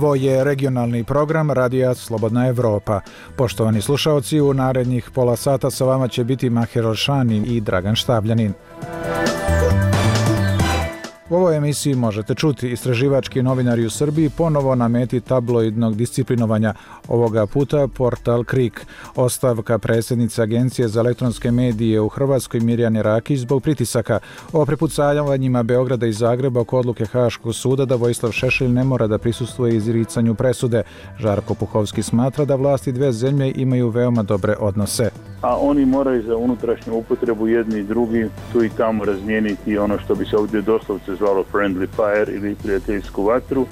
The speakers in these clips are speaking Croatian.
Ovo je regionalni program Radija Slobodna Evropa. Poštovani slušaoci, u narednih pola sata sa vama će biti Maher Elšani i Dragan Štabljanin. U ovoj emisiji možete čuti istraživački novinari u Srbiji ponovo na meti tabloidnog disciplinovanja, ovoga puta portal KRIK. Ostavka predsjednice Agencije za elektronske medije u Hrvatskoj Mirjane Rakić zbog pritisaka o prepucavanjima Beograda i Zagreba oko odluke Haškog suda da Vojislav Šešelj ne mora da prisustvuje izricanju presude. Žarko Puhovski smatra da vlasti dve zemlje imaju veoma dobre odnose. A oni moraju za unutrašnju upotrebu jedni i drugi tu i tamo razmijeniti ono što bi se ovdje doslovce zvalo friendly fire ili prijateljsku vatru.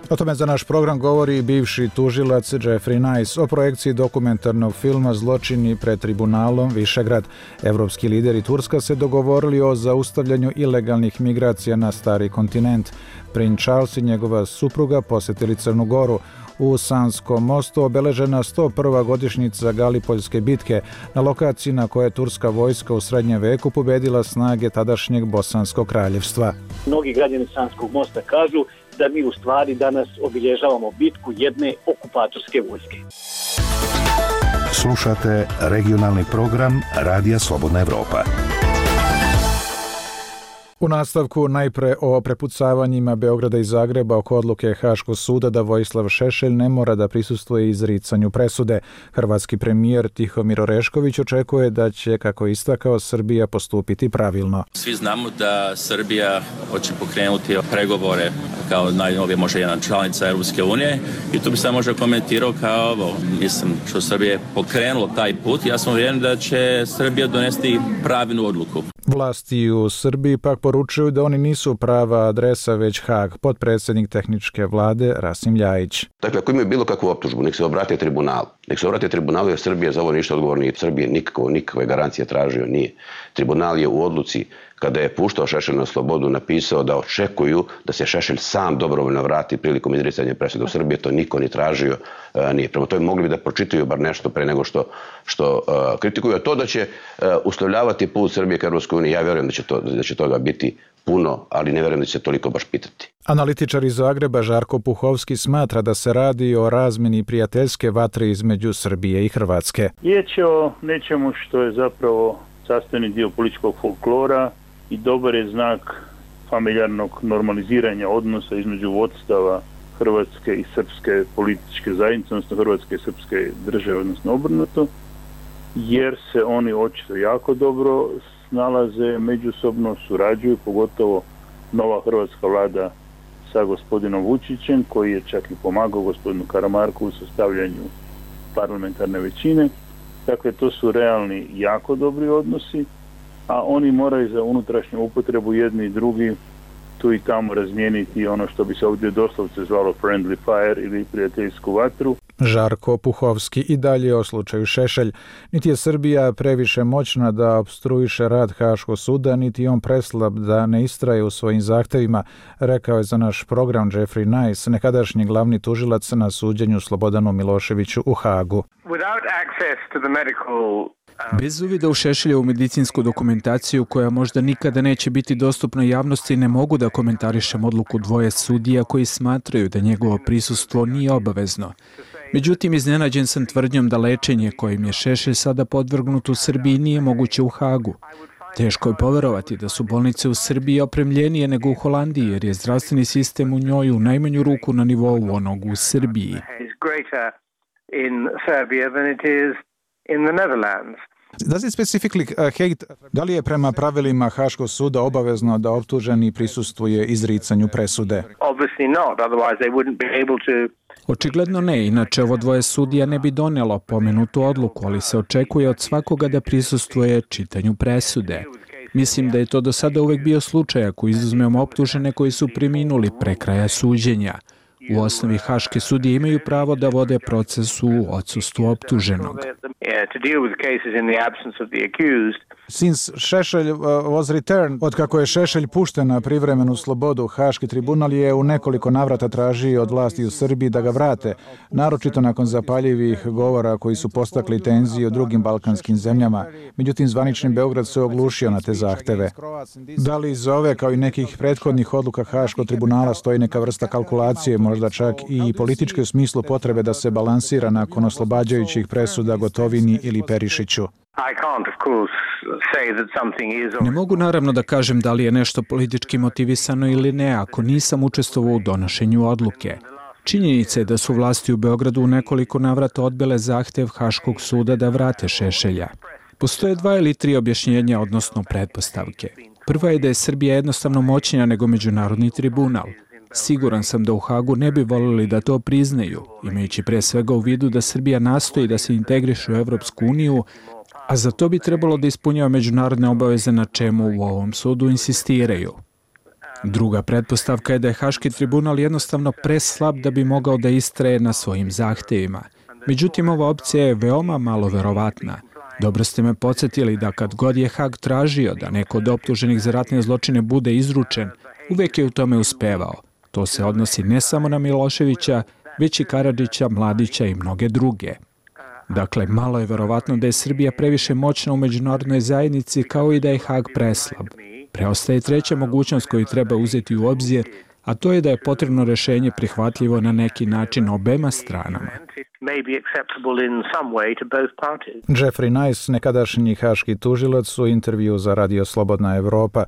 O tome za naš program govori bivši tužilac Jeffrey Nice o projekciji dokumentarnog filma Zločini pred tribunalom Višegrad. Evropski lideri Turska se dogovorili o zaustavljanju ilegalnih migracija na stari kontinent. Princ Charles i njegova supruga posjetili Crnu Goru. U Sanskom mostu obeležena 101. godišnjica Galipoljske bitke, na lokaciji na kojoj je turska vojska u srednjem veku pobedila snage tadašnjeg Bosanskog kraljevstva. Mnogi građani Sanskog mosta kažu da mi u stvari danas obilježavamo bitku jedne okupatorske vojske. Slušate regionalni program Radija Slobodna Evropa. U nastavku najpre o prepucavanjima Beograda i Zagreba oko odluke Haškog suda da Vojislav Šešelj ne mora da prisustvuje izricanju presude. Hrvatski premijer Tihomir Orešković očekuje da će, kako je istakao, Srbija postupiti pravilno. Svi znamo da Srbija hoće pokrenuti pregovore kao najnovije možda jedna članica Europske unije i tu bi se možda komentirao kao ovo. Mislim što Srbija je pokrenulo taj put, ja sam uvjeren da će Srbija donesti pravilnu odluku. Vlasti u Srbiji pak poručuju da oni nisu prava adresa, već Hag. Potpredsjednik tehničke vlade Rasim Ljajić. Dakle, ako imaju bilo kakvu optužbu, nek se obrate tribunalu. Nek se obrate tribunalu jer Srbija za ovo ništa odgovorna nije. Srbije nikakve garancije tražio nije. Tribunal je u odluci kada je puštao Šešelj na slobodu napisao da očekuju da se Šešelj sam dobrovoljno vrati prilikom izricanja presude u Srbiji. To niko ni tražio nije. Prema tome mogli bi da pročitaju bar nešto pre nego što kritikuju. A to da će uslovljavati put Srbije ka Europskoj uniji, ja vjerujem da će toga biti puno, ali ne vjerujem da će se toliko baš pitati. Analitičar iz Zagreba Žarko Puhovski smatra da se radi o razmjeni prijateljske vatre između Srbije i Hrvatske. Riječ je o nečemu što je zapravo sastavni dio političkog folklora i dobar je znak familijarnog normaliziranja odnosa između vodstava Hrvatske i srpske političke zajednice, odnosno Hrvatske i srpske države, odnosno obrnuto, jer se oni očito jako dobro snalaze, međusobno surađuju, pogotovo nova hrvatska vlada sa gospodinom Vučićem, koji je čak i pomagao gospodinu Karamarku u sastavljanju parlamentarne većine. Dakle, to su realni jako dobri odnosi, a oni moraju za unutrašnju upotrebu jedni i drugi tu i tamo razmijeniti ono što bi se ovdje doslovce zvalo friendly fire ili prijateljsku vatru. Žarko Puhovski i dalje o slučaju Šešelj. Niti je Srbija previše moćna da opstruiše rad Haškog suda, niti on preslab da ne istraje u svojim zahtevima, rekao je za naš program Jeffrey Nice, nekadašnji glavni tužilac na suđenju Slobodanu Miloševiću u Hagu. Bez uvida u Šešeljevu medicinsku dokumentaciju, koja možda nikada neće biti dostupna javnosti, ne mogu da komentarišem odluku dvoje sudija koji smatraju da njegovo prisustvo nije obavezno. Međutim, iznenađen sam tvrdnjom da lečenje kojim je Šešelj sada podvrgnut u Srbiji nije moguće u Hagu. Teško je poverovati da su bolnice u Srbiji opremljenije nego u Holandiji, jer je zdravstveni sistem u njoj u najmanju ruku na nivou onog u Srbiji. Da li je prema pravilima Haškog suda obavezno da optuženi prisustvuje izricanju presude? Očigledno ne, inače ovo dvoje sudija ne bi donijelo pomenutu odluku, ali se očekuje od svakoga da prisustvuje čitanju presude. Mislim da je to do sada uvek bio slučaj ako izuzmemo optužene koji su preminuli pre kraja suđenja. U osnovi haške sudije imaju pravo da vode proces u odsustvu optuženog. Since Šešelj was returned, otkako je Šešelj pušten na privremenu slobodu, Haški tribunal je u nekoliko navrata tražio od vlasti u Srbiji da ga vrate, naročito nakon zapaljivih govora koji su postakli tenzije u drugim balkanskim zemljama. Međutim, zvanični Beograd se oglušio na te zahteve. Da li iza ove, kao i nekih prethodnih odluka Haškog tribunala, stoji neka vrsta kalkulacije, možda možda čak i političke u smislu potrebe da se balansira nakon oslobađajućih presuda Gotovini ili Perišiću. Ne mogu naravno da kažem da li je nešto politički motivisano ili ne ako nisam učestvovao u donošenju odluke. Činjenica je da su vlasti u Beogradu u nekoliko navrata odbile zahtev Haškog suda da vrate Šešelja. Postoje 2 ili 3 objašnjenja, odnosno pretpostavke. Prva je da je Srbija jednostavno moćnija nego Međunarodni tribunal. Siguran sam da u Hagu ne bi voljeli da to priznaju, imajući pre svega u vidu da Srbija nastoji da se integriše u Evropsku uniju, a za to bi trebalo da ispunjava međunarodne obaveze na čemu u ovom sudu insistiraju. Druga pretpostavka je da je Haški tribunal jednostavno preslab da bi mogao da istraje na svojim zahtevima. Međutim, ova opcija je veoma malo verovatna. Dobro ste me podsjetili da kad god je Hag tražio da neko od optuženih za ratne zločine bude izručen, uvek je u tome uspevao. To se odnosi ne samo na Miloševića, već i Karadžića, Mladića i mnoge druge. Dakle, malo je verovatno da je Srbija previše moćna u međunarodnoj zajednici kao i da je Hag preslab. Preostaje treća mogućnost koju treba uzeti u obzir, a to je da je potrebno rešenje prihvatljivo na neki način obema stranama. Jeffrey Nice, nekadašnji haški tužilac, u intervju za Radio Slobodna Evropa.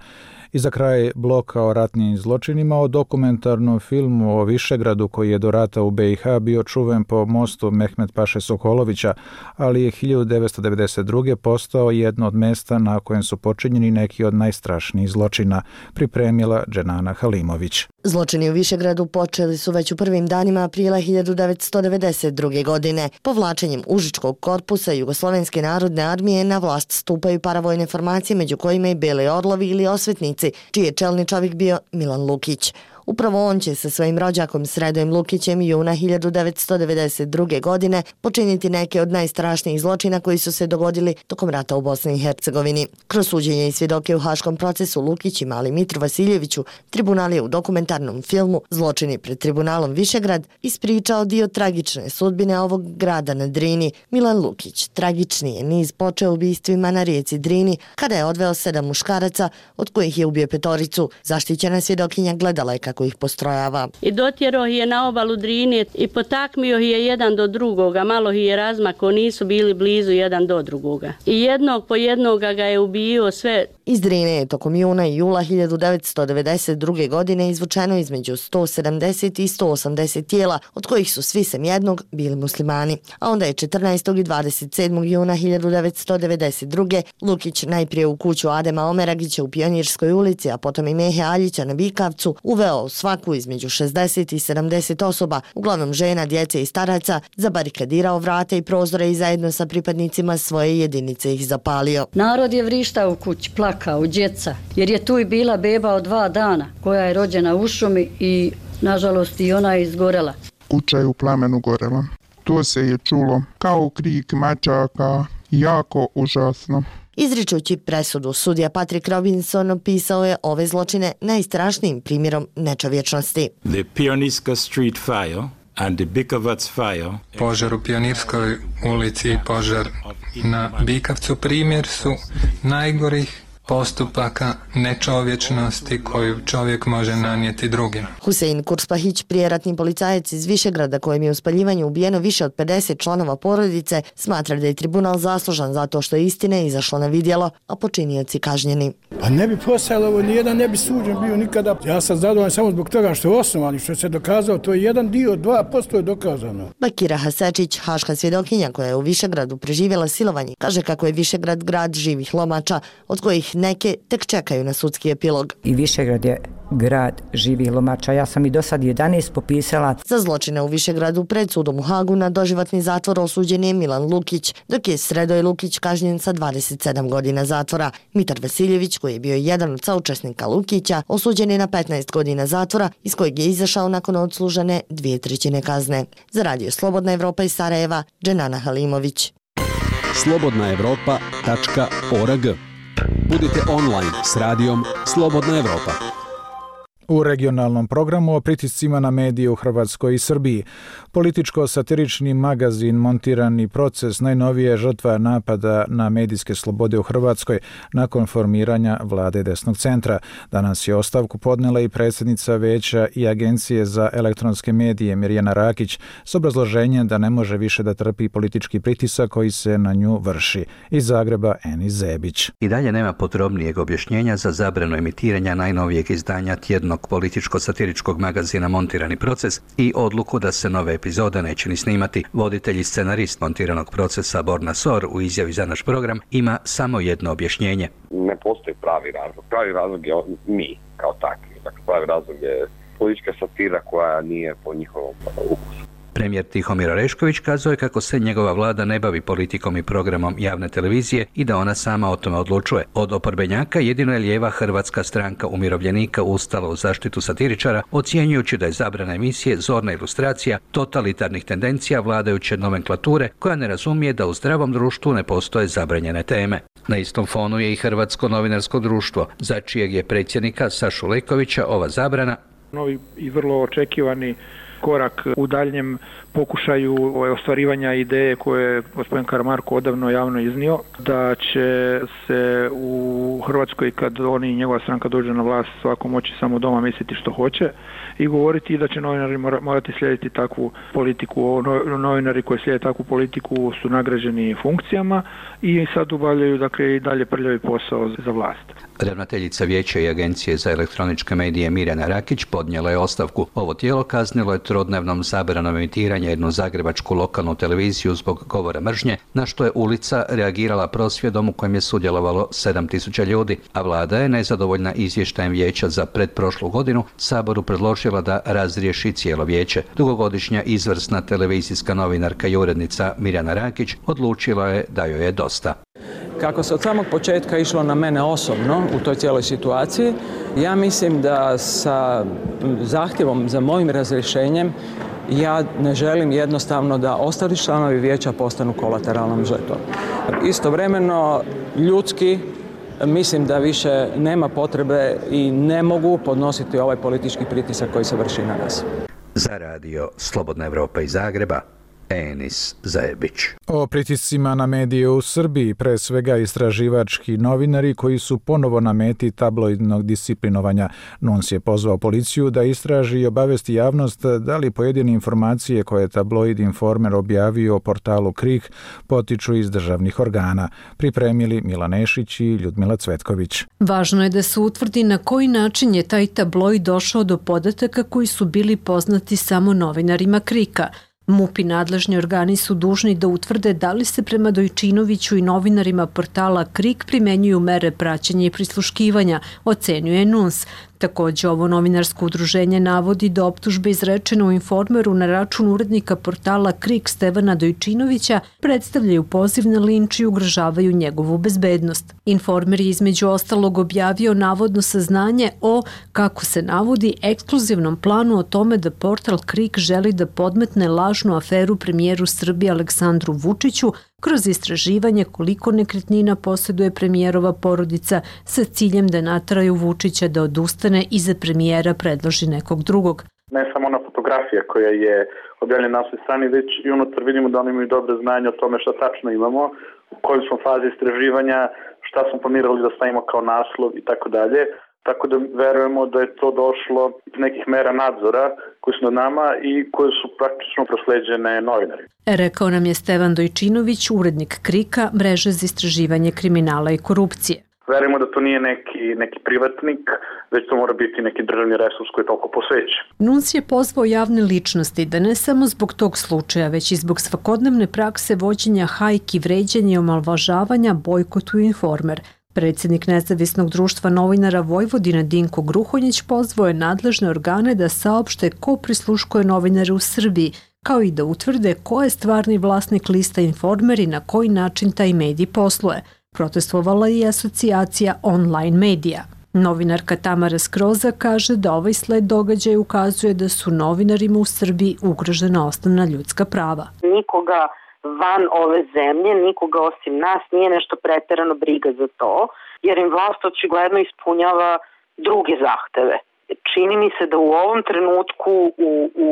I za kraj bloka o ratnim zločinima o dokumentarnom filmu o Višegradu koji je do rata u BiH bio čuven po mostu Mehmet Paše Sokolovića, ali je 1992. postao jedno od mesta na kojem su počinjeni neki od najstrašnijih zločina, pripremila Dženana Halimović. Zločini u Višegradu počeli su već u prvim danima aprila 1992. godine. Povlačenjem Užičkog korpusa Jugoslovenske narodne armije na vlast stupaju paravojne formacije, među kojima i Beli orlovi ili osvetnici, čiji je čelni čovjek bio Milan Lukić. Upravo on će sa svojim rođakom Sredojem Lukićem juna 1992. godine počiniti neke od najstrašnijih zločina koji su se dogodili tokom rata u Bosni i Hercegovini. Kroz suđenje i svjedoke u haškom procesu Lukić i mali Mitru Vasiljeviću, tribunal je u dokumentarnom filmu Zločini pred tribunalom Višegrad ispričao dio tragične sudbine ovog grada na Drini. Milan Lukić tragični je niz počeo ubistvima na rijeci Drini kada je odveo 7 muškaraca, od kojih je ubio 5. Zaštićena svjedokinja gledala je kako ih postrojava. I dotjerao je na obalu Drine i potakmio je jedan do drugoga, malo je razmako, nisu bili blizu jedan do drugoga. I jednog po jednoga ga je ubio sve. Iz Drine je tokom juna i jula 1992. godine izvučeno između 170 i 180 tijela, od kojih su svi sem jednog bili muslimani. A onda je 14. i 27. juna 1992. Lukić najprije u kuću Adema Omeragića u Pionirskoj ulici, a potom i Mehe Aljića na Bikavcu, uveo svaku između 60 i 70 osoba, uglavnom žena, djece i staraca, zabarikadirao vrate i prozore i zajedno sa pripadnicima svoje jedinice ih zapalio. Narod je vrištao u kući, plakao, djeca, jer je tu i bila beba od 2 dana, koja je rođena u šumi i, nažalost, i ona je izgorela. Kuća je u plamenu gorela. To se je čulo kao krik mačaka, jako užasno. Izričući presudu, sudija Patrick Robinson opisao je ove zločine najstrašnijim primjerom nečovječnosti. The Pionirska Street Fire and the Bikovac Fire. Požar u Pionirskoj ulici i požar na Bikavcu primjer su najgorih postupaka nečovječnosti koju čovjek može nanijeti drugim. Husein Kurspahić, prijeratni policajac iz Višegrada kojem je u spaljivanju ubijeno više od 50 članova porodice, smatra da je tribunal zaslužan zato što je istine izašlo na vidjelo, a počinioci kažnjeni. Pa ne bi postojalo ovo, nijedan ne bi suđen bio nikada. Ja sam zadovoljan samo zbog toga što je osnovan i što se dokazao, to je jedan dio, 2% je dokazano. Bakira Hasečić, haška svjedokinja koja je u Višegradu preživjela silovanje, kaže kako je Višegrad grad živih lomača, od kojih neke tek čekaju na sudski epilog. I Višegrad je grad živih lomača. Ja sam i do sad 11 popisala. Za zločine u Višegradu pred sudom u Hagu na doživotni zatvor osuđen je Milan Lukić, dok je Sredoj Lukić kažnjen sa 27 godina zatvora. Mitar Vasiljević, koji je bio jedan od saučesnika Lukića, osuđen je na 15 godina zatvora, iz kojeg je izašao nakon odslužene 2/3 kazne. Za Radio Slobodna Evropa iz Sarajeva, Dženana Halimović. slobodnaevropa.org. Budite online s radijom Slobodna Evropa. U regionalnom programu o pritiscima na medije u Hrvatskoj i Srbiji. Političko-satirični magazin Montirani proces najnovije žrtva napada na medijske slobode u Hrvatskoj nakon formiranja vlade desnog centra. Danas je ostavku podnela i predsjednica Vijeća i Agencije za elektronske medije Mirjana Rakić s obrazloženjem da ne može više da trpi politički pritisak koji se na nju vrši. Iz Zagreba Enis Zebić. I dalje nema podrobnijeg objašnjenja za zabranu emitiranja najnovijeg izdanja tjednog političko-satiričkog magazina Montirani proces i odluku da se nove epizode neće ni snimati. Voditelj i scenarist Montiranog procesa Borna Sor u izjavi za naš program ima samo jedno objašnjenje. Ne postoji pravi razlog. Pravi razlog je mi kao takvi. Dakle, pravi razlog je politička satira koja nije po njihovom ukusu. Premijer Tihomir Orešković kazuje kako se njegova vlada ne bavi politikom i programom javne televizije i da ona sama o tome odlučuje. Od oporbenjaka jedino je lijeva Hrvatska stranka umirovljenika ustala u zaštitu satiričara, ocjenjujući da je zabrana emisije zorna ilustracija totalitarnih tendencija vladajuće nomenklature koja ne razumije da u zdravom društvu ne postoje zabranjene teme. Na istom fonu je i Hrvatsko novinarsko društvo, za čijeg je predsjednika Sašu Lekovića ova zabrana novi i vrlo očekivani korak u daljnjem pokušaju ostvarivanja ideje koje je gospodin Karamarko odavno javno iznio, da će se u Hrvatskoj kad oni i njegova stranka dođu na vlast svako moći samo doma misliti što hoće i govoriti da će novinari morati slijediti takvu politiku. Novinari koji slijede takvu politiku su nagrađeni funkcijama i sad obavljaju dakle i dalje prljavi posao za vlast. Ravnateljica Vijeća i Agencije za elektroničke medije Mirjana Rakić podnijela je ostavku. Ovo tijelo kaznilo je trodnevnom zabranom emitiranja jednu zagrebačku lokalnu televiziju zbog govora mržnje, na što je ulica reagirala prosvjedom u kojem je sudjelovalo 7.000 ljudi, a vlada je nezadovoljna izvještajem Vijeća za pretprošlu godinu Saboru predložila da razriješi cijelo vijeće. Dugogodišnja izvrsna televizijska novinarka i urednica Mirjana Rakić odlučila je da joj je dosta. Kako se od samog početka išlo na mene osobno u toj cijeloj situaciji, ja mislim da sa zahtjevom za mojim razrješenjem ja ne želim jednostavno da ostali članovi vijeća postanu kolateralnom žrtvom. Istovremeno, ljudski, mislim da više nema potrebe i ne mogu podnositi ovaj politički pritisak koji se vrši na nas. Za radio Slobodna Evropa iz Zagreba, Enis Zebić. O pritiscima na medije u Srbiji, pre svega istraživački novinari koji su ponovo na meti tabloidnog disciplinovanja. NUNS je pozvao policiju da istraži i obavesti javnost da li pojedine informacije koje je tabloid Informer objavio o portalu KRIK potiču iz državnih organa. Pripremili Milan Nešić i Ljudmila Cvetković. Važno je da se utvrdi na koji način je taj tabloid došao do podataka koji su bili poznati samo novinarima KRIK-a. MUP i nadležni organi su dužni da utvrde da li se prema Dojčinoviću i novinarima portala KRIK primenjuju mere praćenja i prisluškivanja, ocenjuje NUNS. Također, ovo novinarsko udruženje navodi da optužbe izrečene u Informeru na račun urednika portala KRIK Stevana Dojčinovića predstavljaju poziv na linč i ugrožavaju njegovu bezbednost. Informer je između ostalog objavio navodno saznanje o, kako se navodi, ekskluzivnom planu o tome da portal KRIK želi da podmetne lažnu aferu premijeru Srbije Aleksandru Vučiću kroz istraživanje koliko nekretnina posjeduje premijerova porodica sa ciljem da nateraju Vučića da odustane i za premijera predloži nekog drugog. Ne samo ona fotografija koja je objavljena na svoj strani, već i unutar vidimo da oni imaju dobre znanje o tome šta tačno imamo, u kojoj smo fazi istraživanja, šta smo planirali da stavimo kao naslov i tako dalje. Tako da verujemo da je to došlo iz nekih mera nadzora koji su nad nama i koje su praktično prosleđene novinari. Rekao nam je Stevan Dojčinović, urednik KRIK-a, mreže za istraživanje kriminala i korupcije. Verujemo da to nije neki privatnik, već to mora biti neki državni resurs koji je toliko posvećen. NUNS je pozvao javne ličnosti da ne samo zbog tog slučaja, već i zbog svakodnevne prakse vođenja hajki, vređanja i omalovažavanja bojkotuju Informer. Predsjednik Nezavisnog društva novinara Vojvodine Dinko Gruhonjić pozvao je nadležne organe da saopšte ko prisluškuje novinare u Srbiji, kao i da utvrde ko je stvarni vlasnik lista Informer i na koji način taj medij posluje. Protestvovala je i asocijacija online medija. Novinarka Tamara Skroza kaže da ovaj sled događaja ukazuje da su novinarima u Srbiji ugrožena osnovna ljudska prava. Nikoga van ove zemlje, nikoga osim nas nije nešto preterano briga za to, jer im vlast očigledno ispunjava druge zahteve. čini mi se da u ovom trenutku u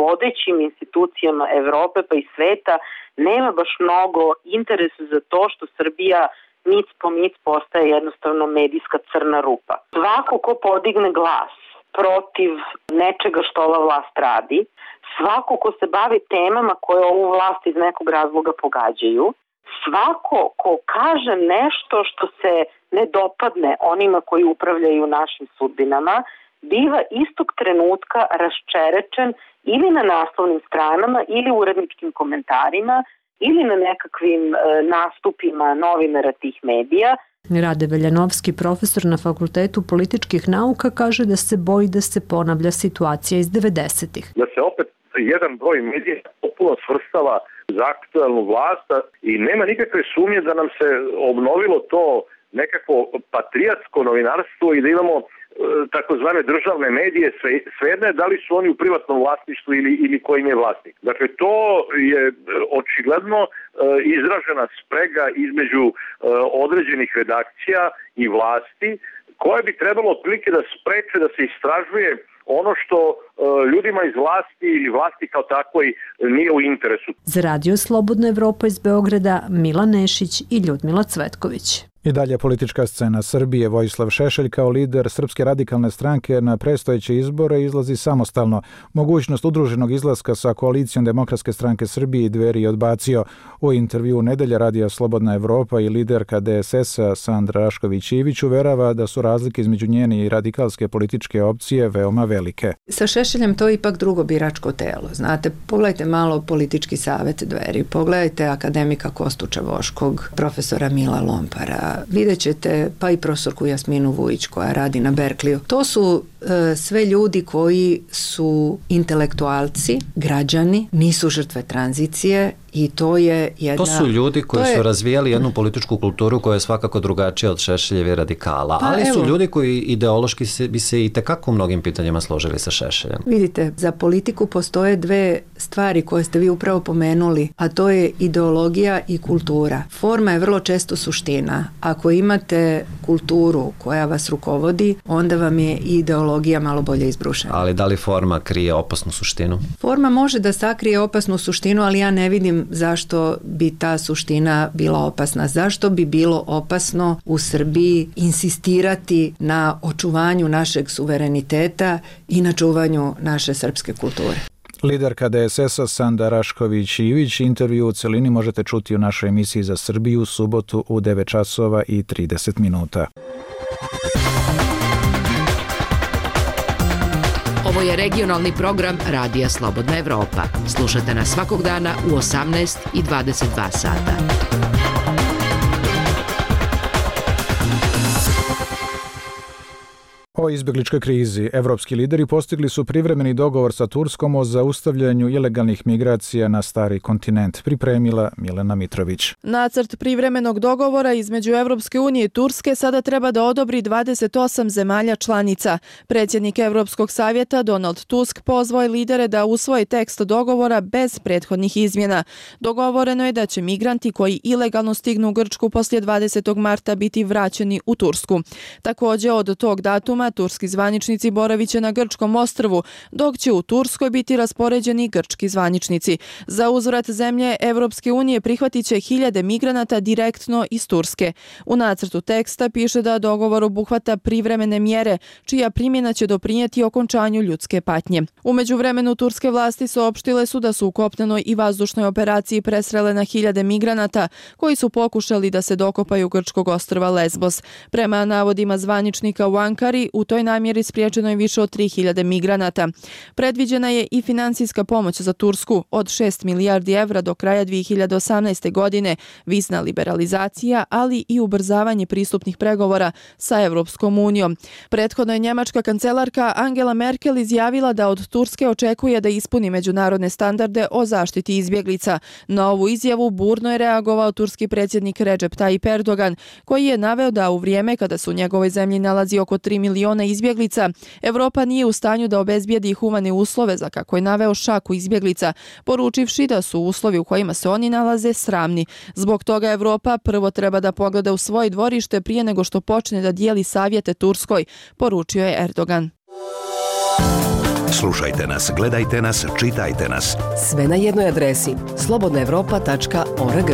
vodećim institucijama Evrope pa i sveta nema baš mnogo interesa za to što Srbija mic po mic postaje jednostavno medijska crna rupa. Svako ko podigne glas protiv nečega što ova vlast radi, svako ko se bavi temama koje ovu vlast iz nekog razloga pogađaju, svako ko kaže nešto što se ne dopadne onima koji upravljaju našim sudbinama, biva istog trenutka raščerečen ili na naslovnim stranama ili uredničkim komentarima ili na nekakvim nastupima novinara tih medija. Rade Veljanovski, profesor na Fakultetu političkih nauka, kaže da se boji da se ponavlja situacija iz 90-ih. Da se opet jedan broj medija popuno svrstava za aktualnu vlast i nema nikakve sumnje da nam se obnovilo to nekako patrijatsko novinarstvo i da imamo takozvane državne medije, svejedno je da li su oni u privatnom vlasništvu ili kojim je vlasnik. Dakle, to je očigledno izražena sprega između određenih redakcija i vlasti, koje bi trebalo otprilike da spreče da se istražuje ono što ljudima iz vlasti ili vlasti kao takvoj nije u interesu. Za Radio Slobodna Evropa iz Beograda, Milan Nešić i Ljudmila Cvetković. I dalje politička scena Srbije. Vojislav Šešelj kao lider Srpske radikalne stranke na predstojeće izbore izlazi samostalno. Mogućnost udruženog izlaska sa koalicijom Demokratske stranke Srbije i Dveri odbacio. U intervju Nedelja Radija Slobodna Evropa i liderka DSS-a Sandra Rašković-Ivić uverava da su razlike između njene i radikalske političke opcije veoma velike. Sa Šešeljem to je ipak drugo biračko telo. Znate, pogledajte malo politički savjet Dveri, pogledajte akademika Kostuča Voškog, profesora Mila Lompara, vidjet ćete pa i profesorku Jasminu Vujić koja radi na Berkliju. To su sve ljudi koji su intelektualci, građani, nisu žrtve tranzicije i to je jedna... To su ljudi koji su razvijali jednu političku kulturu koja je svakako drugačija od Šešeljeve radikala, ali su ljudi koji ideološki bi se i tekako u mnogim pitanjima složili sa Šešeljem. Vidite, za politiku postoje dve stvari koje ste vi upravo pomenuli, a to je ideologija i kultura. Forma je vrlo često suština. Ako imate kulturu koja vas rukovodi, onda vam je ideologija malo bolje izbrušena. Ali da li forma krije opasnu suštinu? Forma može da sakrije opasnu suštinu, ali ja ne vidim zašto bi ta suština bila opasna. Zašto bi bilo opasno u Srbiji insistirati na očuvanju našeg suvereniteta i na čuvanju naše srpske kulture? Liderka DSS-a Sanda Rašković-Ivić intervju u celini možete čuti u našoj emisiji za Srbiju u subotu u 9 časova i 30 minuta. Ovo je regionalni program Radija Slobodna Evropa. Slušate nas svakog dana u 18 i 22 sata. O izbjegličkoj krizi evropski lideri postigli su privremeni dogovor sa Turskom o zaustavljanju ilegalnih migracija na stari kontinent, pripremila Milena Mitrović. Nacrt privremenog dogovora između Evropske unije i Turske sada treba da odobri 28 zemalja članica. Predsjednik Evropskog savjeta Donald Tusk pozvao je lidere da usvoje tekst dogovora bez prethodnih izmjena. Dogovoreno je da će migranti koji ilegalno stignu u Grčku poslije 20. marta biti vraćeni u Tursku. Također od tog datuma turski zvaničnici boraviće na grčkom ostrvu, dok će u Turskoj biti raspoređeni grčki zvaničnici. Za uzvrat zemlje Evropske unije prihvatit će 1000 migranata direktno iz Turske. U nacrtu teksta piše da dogovor obuhvata privremene mjere, čija primjena će doprinijeti okončanju ljudske patnje. U međuvremenu turske vlasti saopštile su da su u kopnenoj i vazdušnoj operaciji presrele na 1000 migranata koji su pokušali da se dokopaju grčkog ostrva Lesbos. Prema navodima zvaničnika u Ankari, u toj namjeri spriječeno je više od 3000 migranata. Predviđena je i financijska pomoć za Tursku od 6 milijardi evra do kraja 2018. godine, vizna liberalizacija, ali i ubrzavanje pristupnih pregovora sa Evropskom unijom. Prethodno je njemačka kancelarka Angela Merkel izjavila da od Turske očekuje da ispuni međunarodne standarde o zaštiti izbjeglica. Na ovu izjavu burno je reagovao turski predsjednik Recep Tayyip Erdogan, koji je naveo da u vrijeme kada su u njegovoj zemlji nalazi oko 3 miliona izbjeglica, Evropa nije u stanju da obezbijedi humane uslove za, kako je naveo, šaku izbjeglica, poručivši da su uslovi u kojima se oni nalaze sramni. Zbog toga Evropa prvo treba da pogleda u svoje dvorište prije nego što počne da dijeli savjete Turskoj, poručio je Erdogan. Slušajte nas, gledajte nas, čitajte nas. Sve na jednoj adresi slobodnaevropa.org.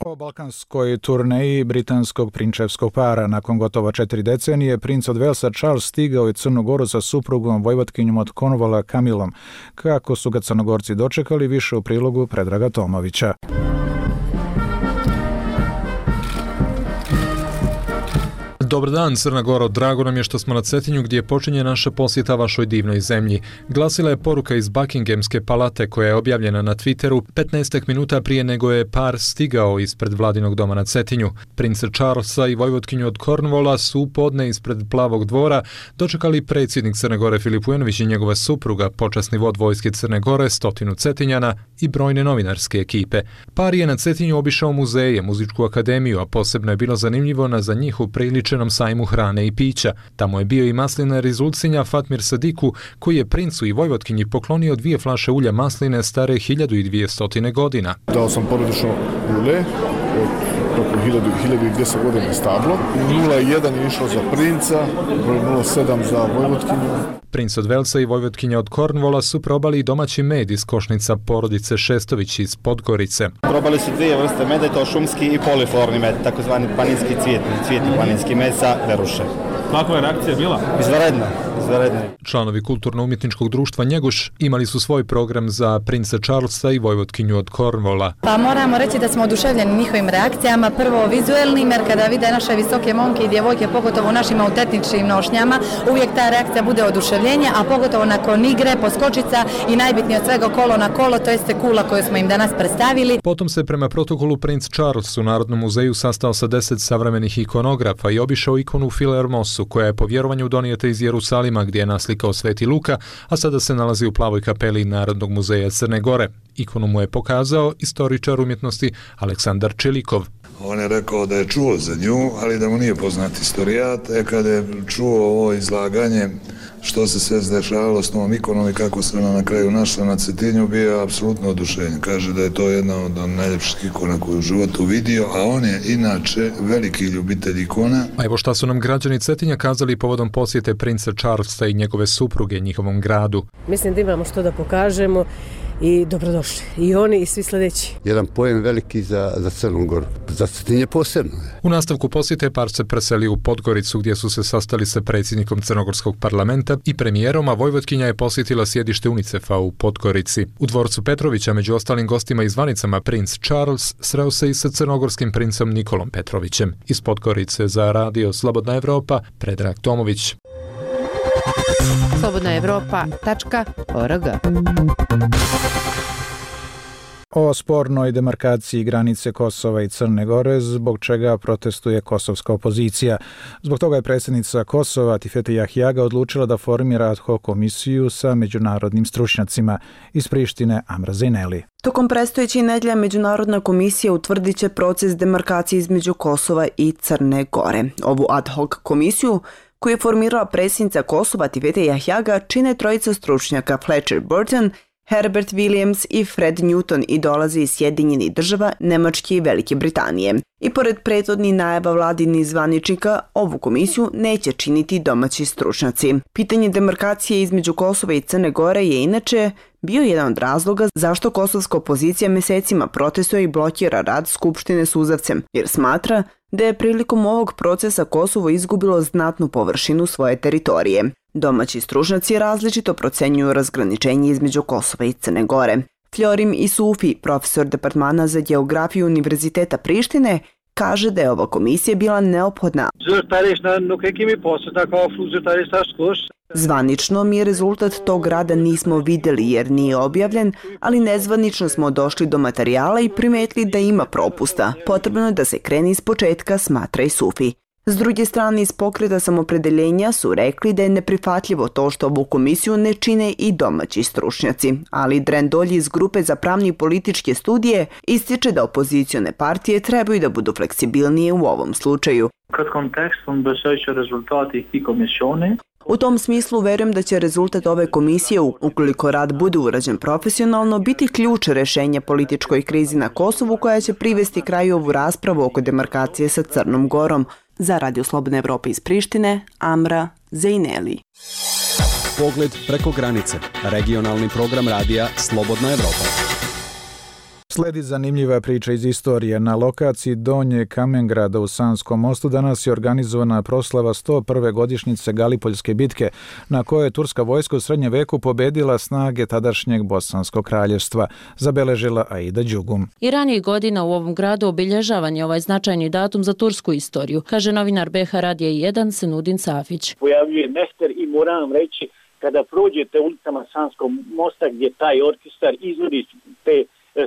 O balkanskoj turneji britanskog prinčevskog para nakon gotovo 4 decenije princ od Velsa Charles stigao je Crnu Goru sa suprugom vojvotkinjom od Cornwalla Camillom. Kako su ga Crnogorci dočekali, više u prilogu Predraga Tomovića. Dobar dan, Crna Goro, drago nam je što smo na Cetinju gdje počinje naša posjeta vašoj divnoj zemlji. Glasila je poruka iz Buckinghamske palate koja je objavljena na Twitteru 15 minuta prije nego je par stigao ispred vladinog doma na Cetinju. Prince Charlesa i vojvotkinju od Cornwalla su podne ispred Plavog dvora dočekali predsjednik Crne Gore Filip Vujanović i njegova supruga, počasni vod vojske Crne Gore, 100 Cetinjana i brojne novinarske ekipe. Par je na Cetinju obišao muzeje, muzičku akademiju, a posebno je bilo zanimljivo na za njih upriličenom sajmu hrane i pića. Tamo je bio i maslinar iz Ulcinja Fatmir Sadiku, koji je princu i vojvotkinji poklonio 2 flaše ulja masline stare 1200 godina. Dao sam porodično ulje od oko 1200 godina stablo. 0,1 je išlo za princa, broj 0,7 za vojvotkinju. Princ od Velsa i vojvotkinja od Cornwalla su probali i domaći med iz košnica porodice Šestović iz Podgorice. Probali su 2 vrste meda, to šumski i poliflorni med, takozvani planinski cvijetni planinski med sa veruše. Kakva je reakcija bila? Izvanredna. Članovi kulturno-umjetničkog društva Njeguš imali su svoj program za princa Charlesa i vojvotkinju od Cornwalla. Pa moramo reći da smo oduševljeni njihovim reakcijama, prvo vizuelnim, jer kada vide naše visoke momke i djevojke, pogotovo u našim autentičnim nošnjama, uvijek ta reakcija bude oduševljenje, a pogotovo nakon igre, poskočica i najbitnije od svega kolo na kolo, to jeste kula koju smo im danas predstavili. Potom se prema protokolu princ Charles u Narodnom muzeju sastao sa 10 savremenih ikonografa i obišao ikonu File Hermosu, koja je po vjerovanju donijeta iz Jerusalima, gdje je naslikao Sveti Luka, a sada se nalazi u plavoj kapeli Narodnog muzeja Crne Gore. Ikonu mu je pokazao istoričar umjetnosti Aleksandar Čelikov. On je rekao da je čuo za nju, ali da mu nije poznat istorijat. Kada je čuo ovo izlaganje, što se sve zdešavalo s novom ikonom i kako se ona na kraju našla na Cetinju, bio je apsolutno oduševljen. Kaže da je to jedna od najljepših ikona koju u životu vidio, a on je inače veliki ljubitelj ikona. A evo šta su nam građani Cetinja kazali povodom posjete princa Charlesa i njegove supruge njihovom gradu. Mislim da imamo što da pokažemo i dobrodošli. I oni i svi sljedeći. Jedan pojem veliki za Crnu Goru. Za Cetinje posebno. U nastavku posjete par se preselio u Podgoricu gdje su se sastali sa predsjednikom Crnogorskog parlamenta i premijerom, a vojvotkinja je posjetila sjedište UNICEF-a u Podgorici. U dvorcu Petrovića među ostalim gostima i zvanicama princ Charles sreo se i sa crnogorskim princem Nikolom Petrovićem. Iz Podgorice za radio Slobodna Evropa, Predrag Tomović. slobodnaevropa.org. O spornoj demarkaciji granice Kosova i Crne Gore, zbog čega protestuje kosovska opozicija. Zbog toga je predsjednica Kosova Tifete Jahjaga odlučila da formira ad hoc komisiju sa međunarodnim stručnjacima. Iz Prištine Amra Zejneli. Tokom predstojeće nedjelje Međunarodna komisija utvrdit će proces demarkacije između Kosova i Crne Gore. Ovu ad hoc komisiju koju je formirala predsjednica Kosova Tifete Jahjaga čine trojica stručnjaka Fletcher Burton, Herbert Williams i Fred Newton i dolaze iz Sjedinjenih Država, Nemačke i Velike Britanije. I pored prethodnih najava vladinih zvaničnika, ovu komisiju neće činiti domaći stručnjaci. Pitanje demarkacije između Kosova i Crne Gore je inače bio jedan od razloga zašto kosovska opozicija mjesecima protestuje i blokira rad Skupštine suzavcem, jer smatra da je prilikom ovog procesa Kosovo izgubilo znatnu površinu svoje teritorije. Domaći stručnjaci različito procenjuju razgraničenje između Kosova i Crne Gore. Florim Isufi, profesor departmana za geografiju Univerziteta Prištine, kaže da je ova komisija bila neophodna. Zvanično mi rezultat tog rada nismo vidjeli jer nije objavljen, ali nezvanično smo došli do materijala i primetili da ima propusta. Potrebno je da se krene iz početka, smatra Isufi. S druge strane, iz pokreta samopredeljenja su rekli da je neprihvatljivo to što ovu komisiju ne čine i domaći stručnjaci, ali Dren Dolji iz grupe za pravne i političke studije ističe da opozicione partije trebaju da budu fleksibilnije u ovom slučaju. U tom smislu verujem da će rezultat ove komisije, ukoliko rad bude urađen profesionalno, biti ključ rješenja političkoj krizi na Kosovu koja će privesti kraju ovu raspravu oko demarkacije sa Crnom Gorom. Za Radio Slobodne Evrope iz Prištine, Amra Zejneli. Pogled preko granice. Regionalni program radija Slobodna Evropa. Sledi zanimljiva priča iz istorije. Na lokaciji Donje Kamengrada u Sanskom mostu danas je organizovana proslava 101. godišnjice Galipoljske bitke, na kojoj je turska vojska u srednjem veku pobedila snage tadašnjeg Bosanskog kraljevstva, zabeležila Aida Đugum. I ranijih godina u ovom gradu obilježavan je ovaj značajni datum za tursku istoriju, kaže novinar BH Radija 1 Senudin Safić. Pojavljuje mester i moram vam reći, kada prođete ulicama Sanskog mosta gdje taj orkestar izvodi te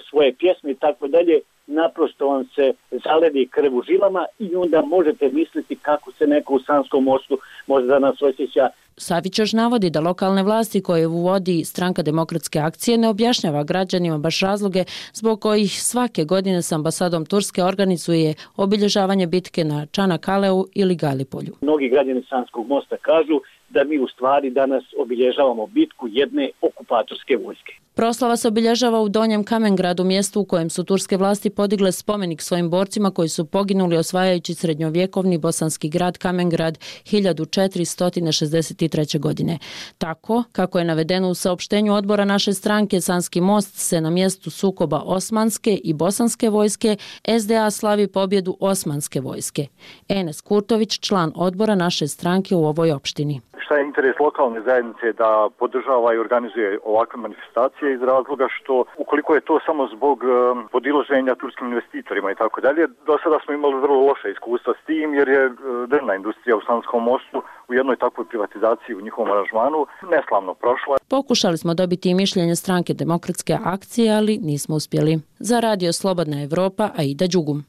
svoje pjesme i tako dalje, naprosto vam se zaledi krv u žilama i onda možete misliti kako se neko u Sanskom mostu može danas osjeća. Savić još navodi da lokalne vlasti koje uvodi Stranka demokratske akcije ne objašnjava građanima baš razloge zbog kojih svake godine s ambasadom Turske organizuje obilježavanje bitke na Čanakaleu ili Galipolju. Mnogi građani Sanskog mosta kažu da mi u stvari danas obilježavamo bitku jedne okupatorske vojske. Proslava se obilježava u Donjem Kamengradu, mjestu u kojem su turske vlasti podigle spomenik svojim borcima koji su poginuli osvajajući srednjovjekovni bosanski grad Kamengrad 1463. godine. Tako, kako je navedeno u saopštenju odbora naše stranke, Sanski most se na mjestu sukoba osmanske i bosanske vojske SDA slavi pobjedu osmanske vojske. Enes Kurtović, član odbora naše stranke u ovoj opštini. Šta je interes lokalne zajednice da podržava i organizuje ovakve manifestacije iz razloga što ukoliko je to samo zbog podilaženja turskim investitorima i tako dalje, do sada smo imali vrlo loše iskustva s tim jer je drvna industrija u Sanskom mostu u jednoj takvoj privatizaciji u njihovom aranžmanu neslavno prošla. Pokušali smo dobiti i mišljenje Stranke demokratske akcije, ali nismo uspjeli. Za Radio Slobodna Evropa, Aida Đugum.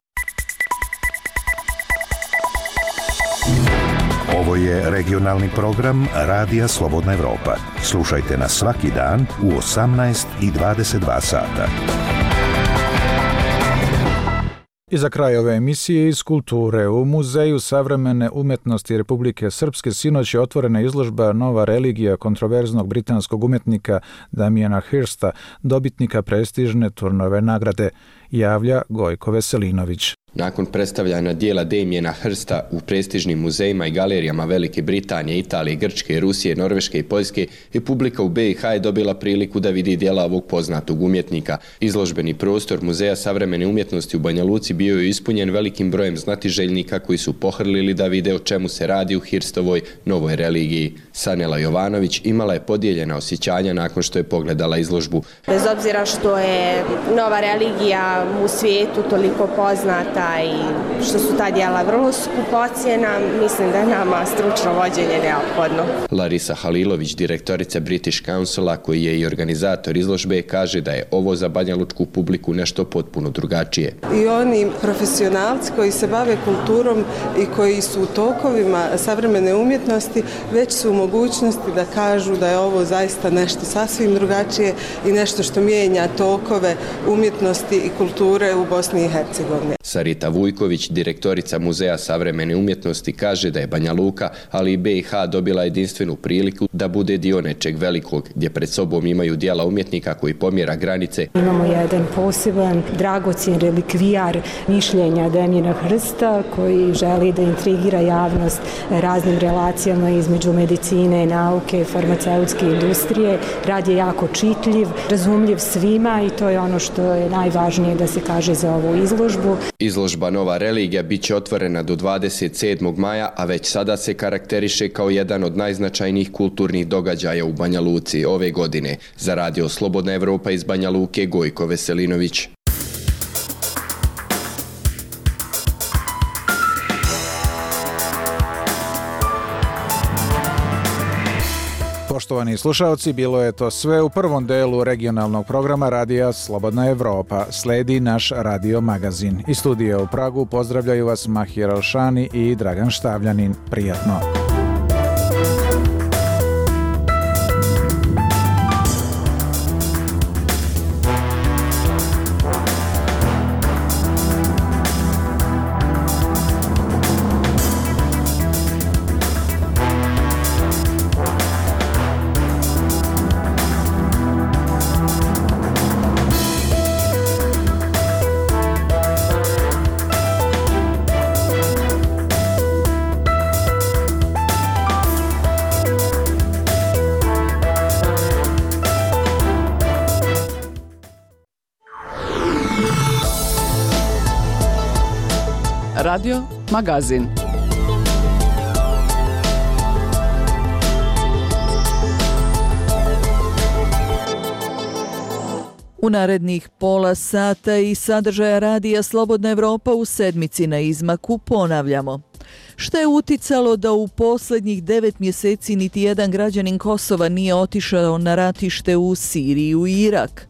Ovo je regionalni program Radija Slobodna Evropa. Slušajte nas svaki dan u 18 i 22 sata. I za kraj ove emisije iz kulture. U Muzeju savremene umjetnosti Republike Srpske sinoć je otvorena izložba Nova religija kontroverznog britanskog umjetnika Damiena Hirsta, dobitnika prestižne Turnove nagrade, javlja Gojko Veselinović. Nakon predstavljanja dijela Damiena Hirsta u prestižnim muzejima i galerijama Velike Britanije, Italije, Grčke, Rusije, Norveške i Poljske, i publika u BiH je dobila priliku da vidi dijela ovog poznatog umjetnika. Izložbeni prostor Muzeja savremene umjetnosti u Banja Luci bio je ispunjen velikim brojem znatiželjnika koji su pohrlili da vide o čemu se radi u Hirstovoj novoj religiji. Sanela Jovanović imala je podijeljena osjećanja nakon što je pogledala izložbu. Bez obzira što je nova religija u svijetu toliko poznata i što su ta djela vrlo skupocjena, mislim da je nama stručno vođenje neophodno. Larisa Halilović, direktorica British Councila, koji je i organizator izložbe, kaže da je ovo za banjalučku publiku nešto potpuno drugačije. I oni profesionalci koji se bave kulturom i koji su u tokovima savremene umjetnosti već su u mogućnosti da kažu da je ovo zaista nešto sasvim drugačije i nešto što mijenja tokove umjetnosti i kulture u Bosni i Hercegovini. Sarita Vujković, direktorica Muzeja savremene umjetnosti, kaže da je Banja Luka, ali i BiH dobila jedinstvenu priliku da bude dio nečeg velikog, gdje pred sobom imaju djela umjetnika koji pomjera granice. Imamo jedan poseban dragocjen relikvijar mišljenja Damiena Hirsta koji želi da intrigira javnost raznim relacijama između medicine, nauke, farmaceutske industrije. Rad je jako čitljiv, razumljiv svima i to je ono što je najvažnije da se kaže za ovu izložbu. Izložba Nova religija bit će otvorena do 27. maja, a već sada se karakteriše kao jedan od najznačajnijih kulturnih događaja u Banja Luci ove godine. Za Radio Slobodna Evropa iz Banja Luke, Gojko Veselinović. Poštovani slušalci, bilo je to sve u prvom delu regionalnog programa Radija Slobodna Evropa. Sledi naš radio magazin. Iz studija u Pragu pozdravljaju vas Mahir Alšani i Dragan Štavljanin. Prijatno! Radio Magazin. U narednih pola sata i sadržaja radija Slobodna Evropa u sedmici na izmaku ponavljamo. Šta je uticalo da u posljednjih 9 mjeseci niti jedan građanin Kosova nije otišao na ratište u Siriju i Irak?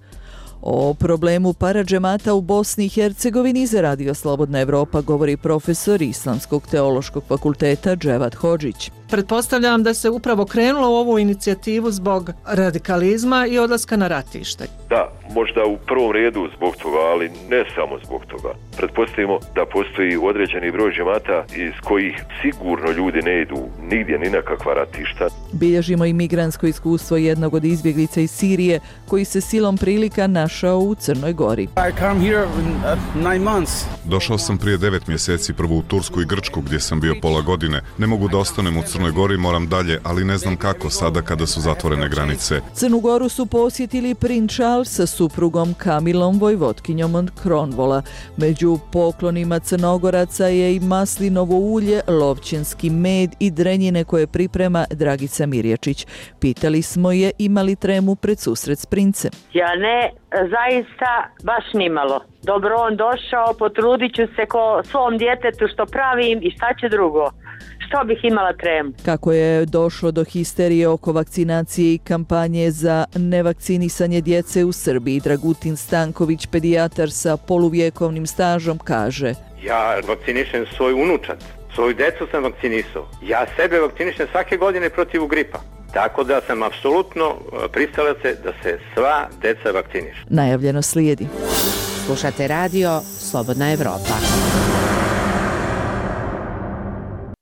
O problemu paradžemata u Bosni i Hercegovini za Radio Slobodna Evropa govori profesor Islamskog teološkog fakulteta Dževat Hodžić. Pretpostavljam da se upravo krenulo u ovu inicijativu zbog radikalizma i odlaska na ratište. Da, možda u prvom redu zbog toga, ali ne samo zbog toga. Pretpostavimo da postoji određeni broj džemata iz kojih sigurno ljudi ne idu nigdje ni na kakva ratišta. Bilježimo i migrantsko iskustvo jednog od izbjeglica iz Sirije koji se silom prilika našao u Crnoj Gori. Došao sam prije 9 mjeseci prvo u Tursku i Grčku gdje sam bio pola godine. Ne mogu da ostanem u Crnoj Gori, moram dalje, ali ne znam kako sada kada su zatvorene granice. Crnu Goru su posjetili princ Charles sa suprugom Kamilom, vojvotkinjom od Kronvola. Među poklonima Crnogoraca je i maslinovo ulje, lovćenski med i drenjine koje priprema Dragica Mirjačić. Pitali smo je ima li tremu pred susret s princem. Ja ne, zaista baš nimalo. Dobro on došao, potrudit ću se ko svom djetetu što pravim i šta će drugo. Što bih imala tremu? Kako je došlo do histerije oko vakcinacije i kampanje za nevakcinisanje djece u Srbiji, Dragutin Stanković, pedijatar sa poluvjekovnim stažom, kaže: Ja vakcinišem svoju unučad, svoju djecu sam vakcinisao. Ja sebe vakcinišem svake godine protiv gripa. Tako da sam apsolutno pristalac da se sva djeca vakcinišu. Najavljeno slijedi. Slušate radio Slobodna Evropa.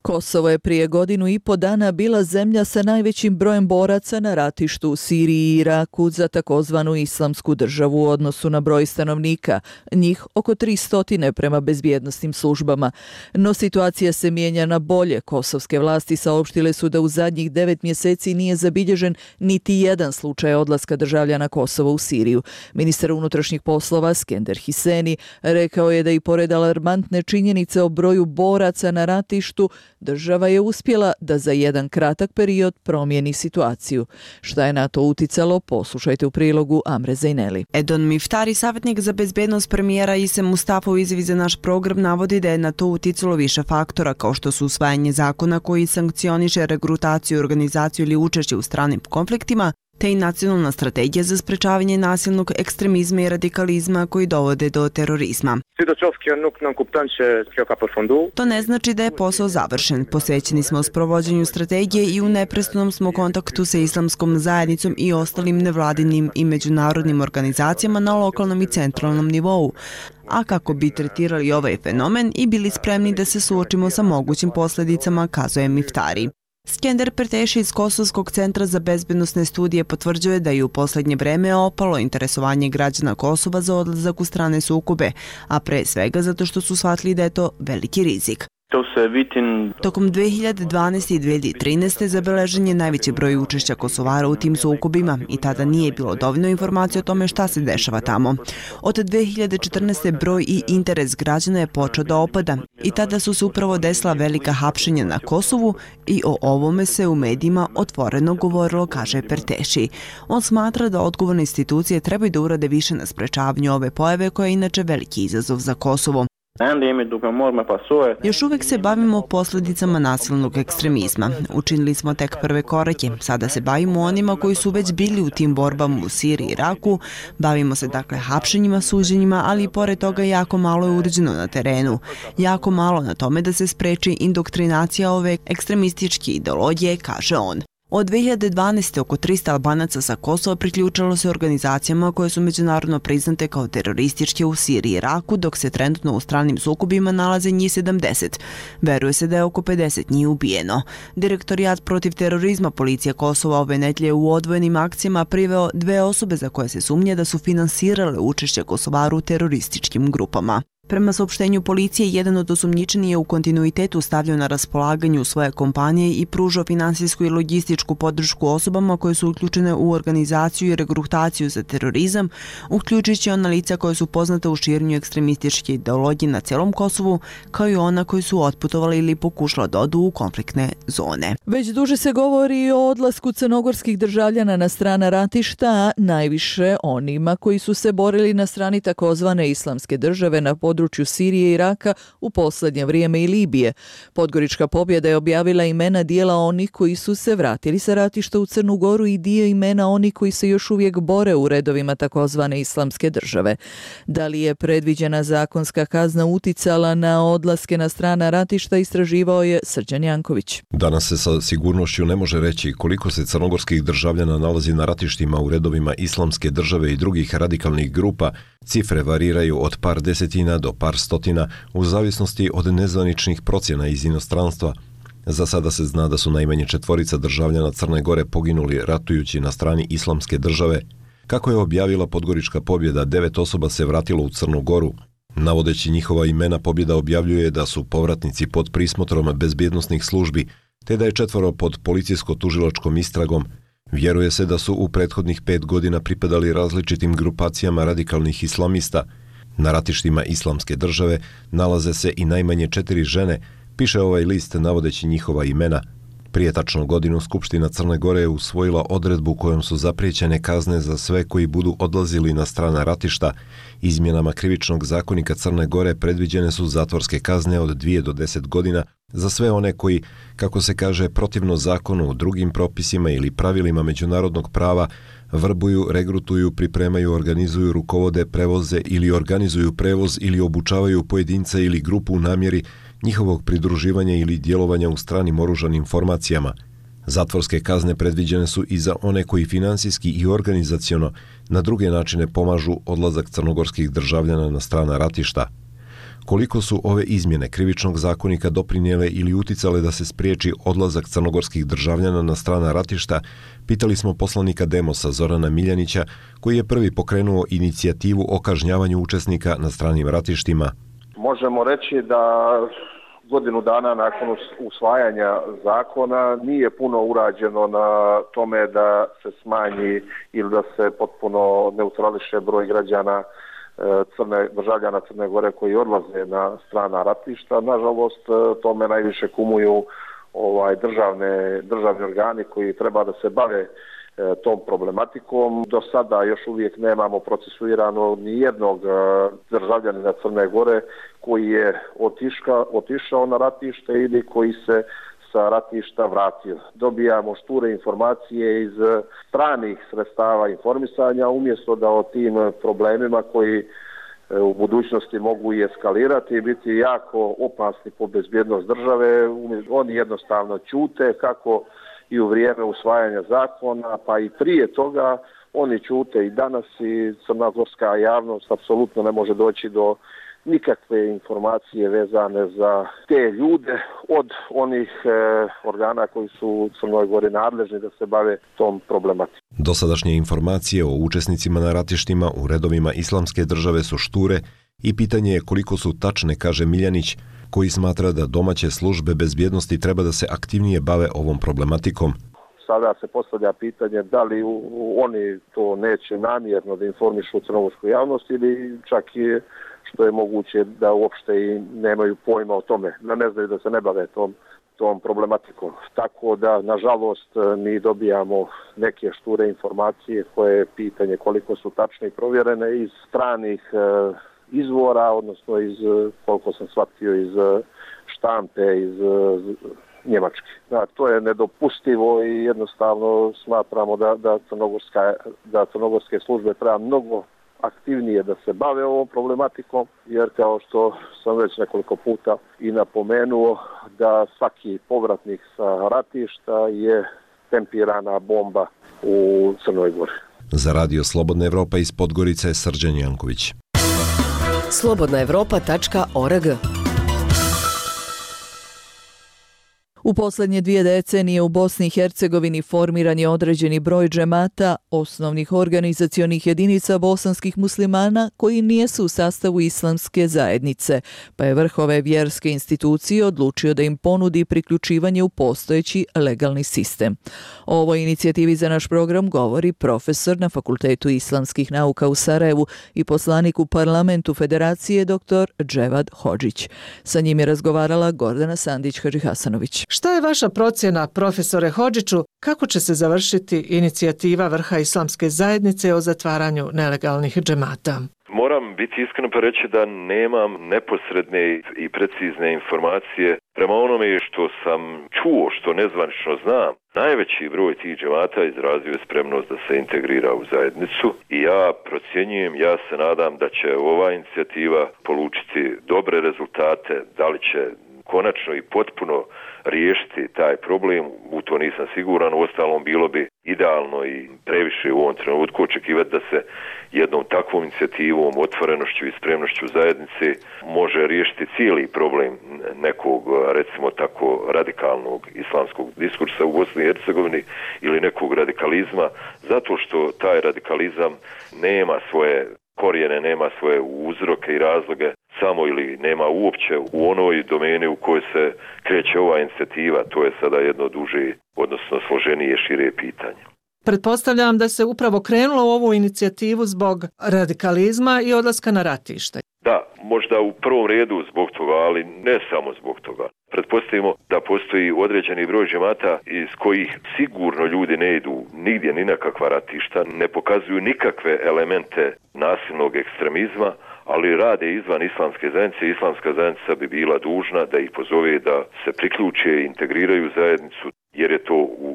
Kosovo je prije 1,5 dana bila zemlja sa najvećim brojem boraca na ratištu u Siriji i Iraku za takozvanu islamsku državu u odnosu na broj stanovnika, njih oko 300 prema bezbjednosnim službama. No situacija se mijenja na bolje. Kosovske vlasti saopštile su da u zadnjih 9 mjeseci nije zabilježen niti jedan slučaj odlaska državljana Kosova u Siriju. Ministar unutrašnjih poslova Skender Hiseni rekao je da i pored alarmantne činjenice o broju boraca na ratištu, država je uspjela da za jedan kratak period promijeni situaciju. Šta je na to uticalo, poslušajte u prilogu Amre Zejneli. Edon Miftari, savjetnik za bezbednost premijera Ise Mustafa u izjavi za naš program, navodi da je na to uticalo više faktora, kao što su usvajanje zakona koji sankcioniše regrutaciju, organizaciju ili učešće u stranim konfliktima, te i nacionalna strategija za sprečavanje nasilnog ekstremizma i radikalizma koji dovode do terorizma. To ne znači da je posao završen. Posvećeni smo sprovođenju strategije i u neprestanom smo kontaktu sa islamskom zajednicom i ostalim nevladinim i međunarodnim organizacijama na lokalnom i centralnom nivou. A kako bi tretirali ovaj fenomen i bili spremni da se suočimo sa mogućim posljedicama, kazuje Miftari. Skender Perteši iz Kosovskog centra za bezbednosne studije potvrđuje da je u posljednje vreme opalo interesovanje građana Kosova za odlazak u strane sukobe, a pre svega zato što su shvatili da je to veliki rizik. Tokom 2012. i 2013. zabeležen je najveći broj učešća Kosovara u tim sukobima i tada nije bilo dovoljno informacije o tome šta se dešava tamo. Od 2014. broj i interes građana je počeo da opada i tada su se upravo desila velika hapšenja na Kosovu i o ovome se u medijima otvoreno govorilo, kaže Perteši. On smatra da odgovorne institucije trebaju da urade više na sprečavanju ove pojave koja je inače veliki izazov za Kosovo. Još uvijek se bavimo posljedicama nasilnog ekstremizma. Učinili smo tek prve korake. Sada se bavimo onima koji su već bili u tim borbama u Siriji i Iraku. Bavimo se dakle hapšenjima, suđenjima, ali i pored toga jako malo je urađeno na terenu. Jako malo na tome da se spreči indoktrinacija ove ekstremističke ideologije, kaže on. Od 2012. oko 300 Albanaca sa Kosova priključilo se organizacijama koje su međunarodno priznate kao terorističke u Siriji i Iraku, dok se trenutno u stranim sukobima nalaze njih 70. Veruje se da je oko 50 njih ubijeno. Direktorijat protiv terorizma policije Kosova ove nedelje u odvojenim akcijama priveo 2 osobe za koje se sumnje da su finansirale učešće Kosovara u terorističkim grupama. Prema saopštenju policije, jedan od osumnjičenih je u kontinuitetu stavljao na raspolaganju svoje kompanije i pružao finansijsku i logističku podršku osobama koje su uključene u organizaciju i regrutaciju za terorizam, uključujući ona lica koje su poznate u širenju ekstremističke ideologije na celom Kosovu, kao i ona koji su otputovali ili pokušali da odu u konfliktne zone. Već duže se govori o odlasku crnogorskih državljana na strana ratišta, a najviše onima koji su se borili na strani takozvane islamske države na području Sirije i Iraka u posljednje vrijeme i Libije. Podgorička pobjeda je objavila imena dijela onih koji su se vratili sa ratišta u Crnu Goru i dio imena onih koji se još uvijek bore u redovima takozvane islamske države. Da li je predviđena zakonska kazna uticala na odlaske na strana ratišta, istraživao je Srđan Janković. Danas se sa sigurnošću ne može reći koliko se crnogorskih državljana nalazi na ratištima u redovima islamske države i drugih radikalnih grupa. Cifre variraju od par desetina do par stotina u zavisnosti od nezvaničnih procjena iz inostranstva. Za sada se zna da su najmanje 4 državljana Crne Gore poginuli ratujući na strani islamske države. Kako je objavila Podgorička pobjeda, 9 osoba se vratilo u Crnu Goru. Navodeći njihova imena, pobjeda objavljuje da su povratnici pod prismotrom bezbjednosnih službi, te da je 4 pod policijsko-tužilačkom istragom. Vjeruje se da su u prethodnih 5 godina pripadali različitim grupacijama radikalnih islamista. Na ratištima islamske države nalaze se i najmanje 4 žene, piše ovaj list navodeći njihova imena. Prije tačno godinu Skupština Crne Gore je usvojila odredbu kojom su zapriječene kazne za sve koji budu odlazili na strana ratišta. Izmjenama krivičnog zakonika Crne Gore predviđene su zatvorske kazne od 2 do 10 godina za sve one koji, kako se kaže, protivno zakonu, drugim propisima ili pravilima međunarodnog prava vrbuju, regrutuju, pripremaju, organizuju, rukovode, prevoze ili organizuju prevoz ili obučavaju pojedinca ili grupu u namjeri njihovog pridruživanja ili djelovanja u stranim oružanim formacijama. Zatvorske kazne predviđene su i za one koji finansijski i organizaciono na druge načine pomažu odlazak crnogorskih državljana na strana ratišta. Koliko su ove izmjene krivičnog zakonika doprinijele ili uticale da se spriječi odlazak crnogorskih državljana na strana ratišta, pitali smo poslanika Demosa Zorana Miljanića, koji je prvi pokrenuo inicijativu o kažnjavanju učesnika na stranim ratištima. Možemo reći da godinu dana nakon usvajanja zakona nije puno urađeno na tome da se smanji ili da se potpuno neutrališe broj građana državljana Crne Gore koji odlaze na strana ratišta. Nažalost, tome najviše kumuju državni organi koji treba da se bave tom problematikom. Do sada još uvijek nemamo procesuirano ni jednog državljanina Crne Gore koji je otišao na ratište ili koji se sa ratišta vratio. Dobijamo šture informacije iz stranih sredstava informisanja umjesto da o tim problemima koji u budućnosti mogu i eskalirati i biti jako opasni po bezbjednost države. Oni jednostavno ćute kako i u vrijeme usvajanja zakona, pa i prije toga oni ćute i danas i crnogorska javnost apsolutno ne može doći do nikakve informacije vezane za te ljude od onih organa koji su u Crnoj Gori nadležni da se bave tom problematikom. Dosadašnje informacije o učesnicima na ratištima u redovima islamske države su šture i pitanje je koliko su tačne, kaže Miljanić, koji smatra da domaće službe bezbjednosti treba da se aktivnije bave ovom problematikom. Sada se postavlja pitanje da li oni to neće namjerno da informišu crnogorsku javnost ili čak i što je moguće da uopšte i nemaju pojma o tome, da ne znaju da se ne bave tom problematikom. Tako da, nažalost, mi dobijamo neke šture informacije koje je pitanje koliko su tačne i provjerene iz stranih izvora, odnosno iz, koliko sam shvatio, iz štampe, iz Njemačke. To je nedopustivo i jednostavno smatramo da crnogorske službe treba mnogo aktivnije da se bave ovom problematikom, jer kao što sam već nekoliko puta i napomenuo, da svaki povratnik sa ratišta je tempirana bomba u Crnoj Gori. Za Radio Slobodna Evropa iz Podgorice je Srđan Janković. slobodnaevropa.org U posljednje 2 decenije u Bosni i Hercegovini formiran je određeni broj džemata, osnovnih organizacionih jedinica bosanskih muslimana koji nijesu u sastavu islamske zajednice, pa je vrh ove vjerske institucije odlučio da im ponudi priključivanje u postojeći legalni sistem. O ovoj inicijativi za naš program govori profesor na Fakultetu islamskih nauka u Sarajevu i poslanik u parlamentu Federacije dr. Dževad Hodžić. Sa njim je razgovarala Gordana Sandić-Hadžihasanović. Šta je vaša procjena, profesore Hodžiću, kako će se završiti inicijativa vrha islamske zajednice o zatvaranju nelegalnih džemata? Moram biti iskren pa reći da nemam neposredne i precizne informacije prema onome što sam čuo, što nezvanično znam. Najveći broj tih džemata izrazio je spremnost da se integrira u zajednicu i ja procjenjujem, ja se nadam da će ova inicijativa polučiti dobre rezultate, da li će konačno i potpuno riješiti taj problem, u to nisam siguran, uostalom bilo bi idealno i previše u ovom trenutku očekivati da se jednom takvom inicijativom, otvorenošću i spremnošću zajednice može riješiti cijeli problem nekog, recimo tako, radikalnog islamskog diskursa u Bosni i Hercegovini ili nekog radikalizma, zato što taj radikalizam nema svoje korijene, nema svoje uzroke i razloge samo ili nema uopće u onoj domeni u kojoj se kreće ova inicijativa. To je sada jedno duže, odnosno složenije, šire pitanje. Pretpostavljam da se upravo krenulo u ovu inicijativu zbog radikalizma i odlaska na ratište. Da, možda u prvom redu zbog toga, ali ne samo zbog toga. Pretpostavimo da postoji određeni broj džemata iz kojih sigurno ljudi ne idu nigdje ni na kakva ratišta, ne pokazuju nikakve elemente nasilnog ekstremizma, ali rade izvan islamske zajednice. Islamska zajednica bi bila dužna da ih pozove da se priključe i integriraju zajednicu, jer je to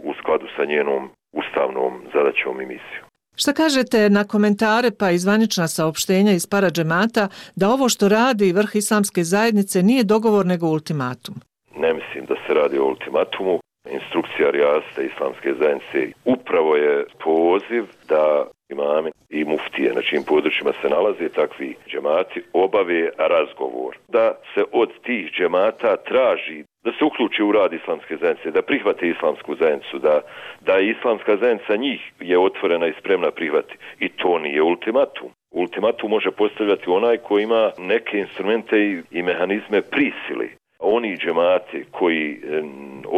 u skladu sa njenom ustavnom zadaćom i misijom. Šta kažete na komentare pa i zvanična saopštenja iz paradžemata da ovo što radi vrh islamske zajednice nije dogovor nego ultimatum? Ne mislim da se radi o ultimatumu. Instrukcija rijasta islamske zajednice upravo je poziv da imami i muftije na čijim područjima se nalaze takvi džemati obave razgovor. Da se od tih džemata traži da se uključi u rad islamske zajednice, da prihvate islamsku zajednicu, da islamska zajednica njih je otvorena i spremna prihvati. I to nije ultimatum. Ultimatum može postavljati onaj koji ima neke instrumente i mehanizme prisili. Oni džemati koji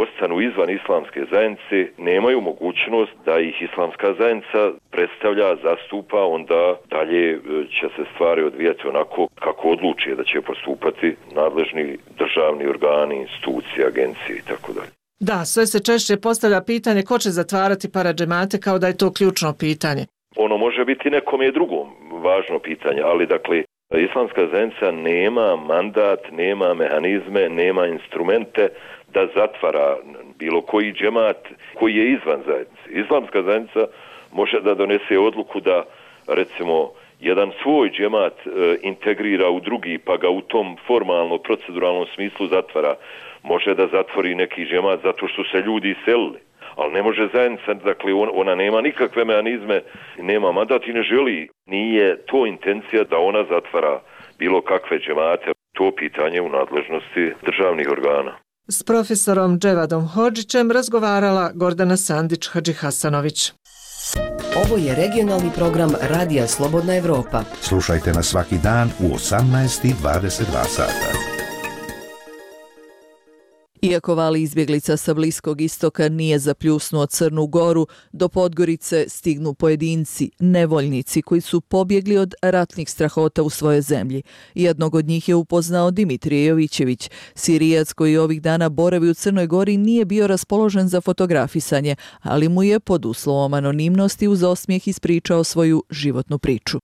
ostanu izvan islamske zajednice nemaju mogućnost da ih islamska zajednica predstavlja, zastupa, onda dalje će se stvari odvijati onako kako odluče da će postupati nadležni državni organi, institucije, agencije i tako dalje. Da, sve se češće postavlja pitanje ko će zatvarati paradžemate kao da je to ključno pitanje. Ono može biti nekom je drugom važno pitanje, ali dakle islamska zajednica nema mandat, nema mehanizme, nema instrumente da zatvara bilo koji džemat koji je izvan zajednice. Islamska zajednica može da donese odluku da, recimo, jedan svoj džemat integrira u drugi, pa ga u tom formalno-proceduralnom smislu zatvara. Može da zatvori neki džemat zato što se ljudi iselili. Ali ne može zajednica, dakle ona nema nikakve mehanizme, nema mandat i ne želi. Nije to intencija da ona zatvara bilo kakve džemate. To pitanje u nadležnosti državnih organa. S profesorom Dževadom Hodžićem razgovarala Gordana Sandić-Hadžihasanović. Ovo je regionalni program Radija Slobodna Evropa. Slušajte nas svaki dan u 18:22 sata. Iako val izbjeglica sa Bliskog istoka nije zapljusnuo Crnu Goru, do Podgorice stignu pojedinci, nevoljnici koji su pobjegli od ratnih strahota u svojoj zemlji. Jednog od njih je upoznao Dimitrije Jovićević. Sirijac koji ovih dana boravi u Crnoj Gori nije bio raspoložen za fotografisanje, ali mu je pod uslovom anonimnosti uz osmijeh ispričao svoju životnu priču.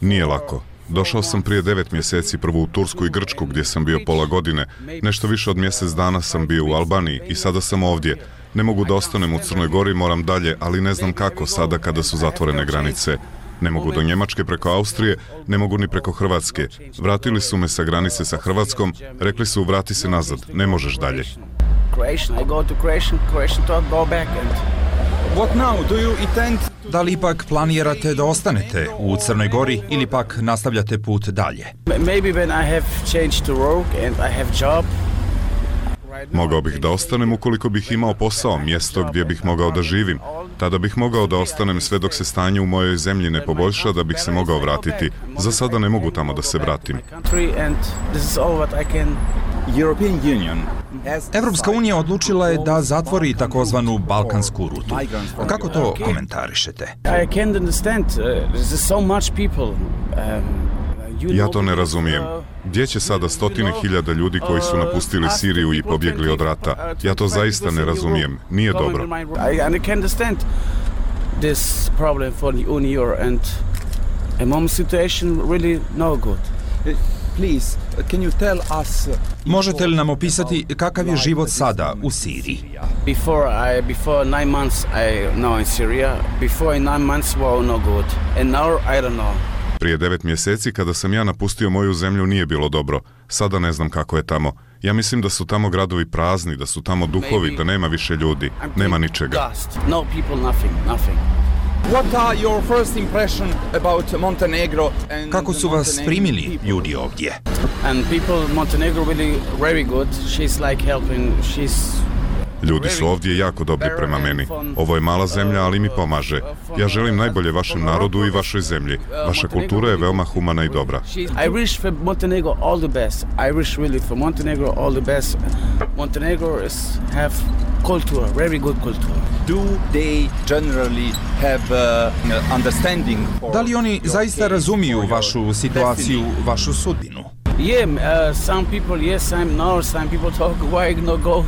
Nije lako. Došao sam prije 9 mjeseci prvo u Tursku i Grčku gdje sam bio pola godine. Nešto više od mjesec dana sam bio u Albaniji i sada sam ovdje. Ne mogu da ostanem u Crnoj Gori, moram dalje, ali ne znam kako sada kada su zatvorene granice. Ne mogu do Njemačke preko Austrije, ne mogu ni preko Hrvatske. Vratili su me sa granice sa Hrvatskom, rekli su vrati se nazad, ne možeš dalje. Da li ipak planirate da ostanete u Crnoj Gori ili pak nastavljate put dalje? Maybe when I have changed to work and I have job. Mogao bih da ostanem ukoliko bih imao posao, mjesto gdje bih mogao da živim. Tada bih mogao da ostanem sve dok se stanje u mojoj zemlji ne poboljša da bih se mogao vratiti. Za sada ne mogu tamo da se vratim. Evropska unija odlučila je da zatvori takozvanu balkansku rutu. Kako to komentarišete? Ja to ne razumijem. Gdje će sada stotine hiljada ljudi koji su napustili Siriju i pobjegli od rata? Ja to zaista ne razumijem. Nije dobro. Možete li nam opisati kakav je život sada u Siriji? Before 9 months I know in Syria. Before 9 months was no good. And now I don't know. Prije 9 mjeseci kada sam ja napustio moju zemlju nije bilo dobro. Sada ne znam kako je tamo. Ja mislim da su tamo gradovi prazni, da su tamo duhovi, da nema više ljudi, nema ničega. No people, nothing. What are your first impression about Montenegro? Kako su vas primili ljudi ovdje? And people Montenegro really very good. She's like helping. Ljudi su ovdje jako dobri prema meni. Ovo je mala zemlja, ali mi pomaže. Ja želim najbolje vašem narodu i vašoj zemlji. Vaša kultura je veoma humana i dobra. I wish for Montenegro all the best. I wish really for Montenegro all the best. Montenegro have culture, very good culture. Do they generally have understanding? Da li oni zaista razumiju vašu situaciju, vašu sudbinu? Yeah, some people yes, some people talk why not go.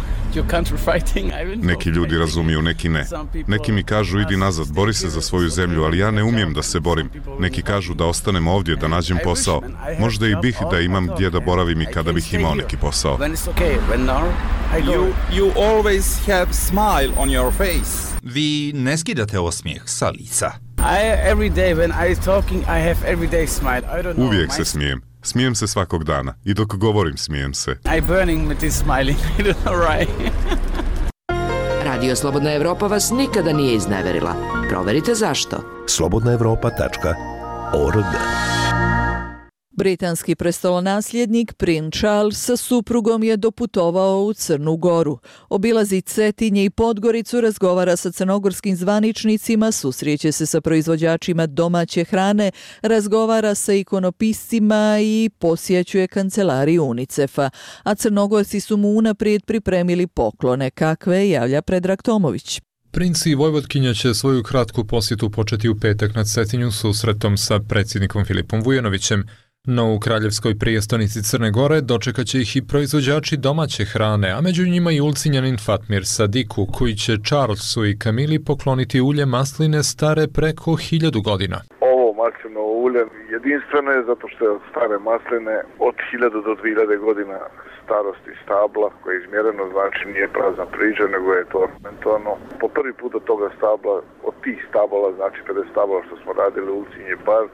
Neki ljudi razumiju, neki ne. Neki mi kažu idi nazad, bori se za svoju zemlju, ali ja ne umijem da se borim. Neki kažu da ostanem ovdje, da nađem posao. Možda i bih da imam gdje da boravim i kada bih imao neki posao. You always have smile on your face. Vi ne skidate osmijeh sa lica. Uvijek se smijem. Smijem se svakog dana i dok govorim smijem se. Radio Slobodna Evropa vas nikada nije izneverila. Proverite zašto. slobodnaevropa.org. Britanski prestolonasljednik princ Charles sa suprugom je doputovao u Crnu Goru. Obilazi Cetinje i Podgoricu, razgovara sa crnogorskim zvaničnicima, susreće se sa proizvođačima domaće hrane, razgovara sa ikonopiscima i posjećuje kancelariju UNICEF-a. A Crnogorci su mu unaprijed pripremili poklone, kakve javlja Predrag Tomović. Princ i Vojvodkinja će svoju kratku posjetu početi u petak na Cetinju susretom sa predsjednikom Filipom Vujanovićem. No u kraljevskoj prijestolnici Crne Gore dočekat će ih i proizvođači domaće hrane, a među njima i ulcinjanin Fatmir Sadiku, koji će Charlesu i Kamili pokloniti ulje masline stare preko 1000 godina. Ovo maslinovo ulje jedinstveno je zato što je od stare masline od 1000 do 2000 godina starosti stabla koje je izmjereno, znači nije prazna priča, nego je to mentorno. Po prvi put od toga stabla, od tih stabala, znači 50 stabala što smo radili u ulcinje bar,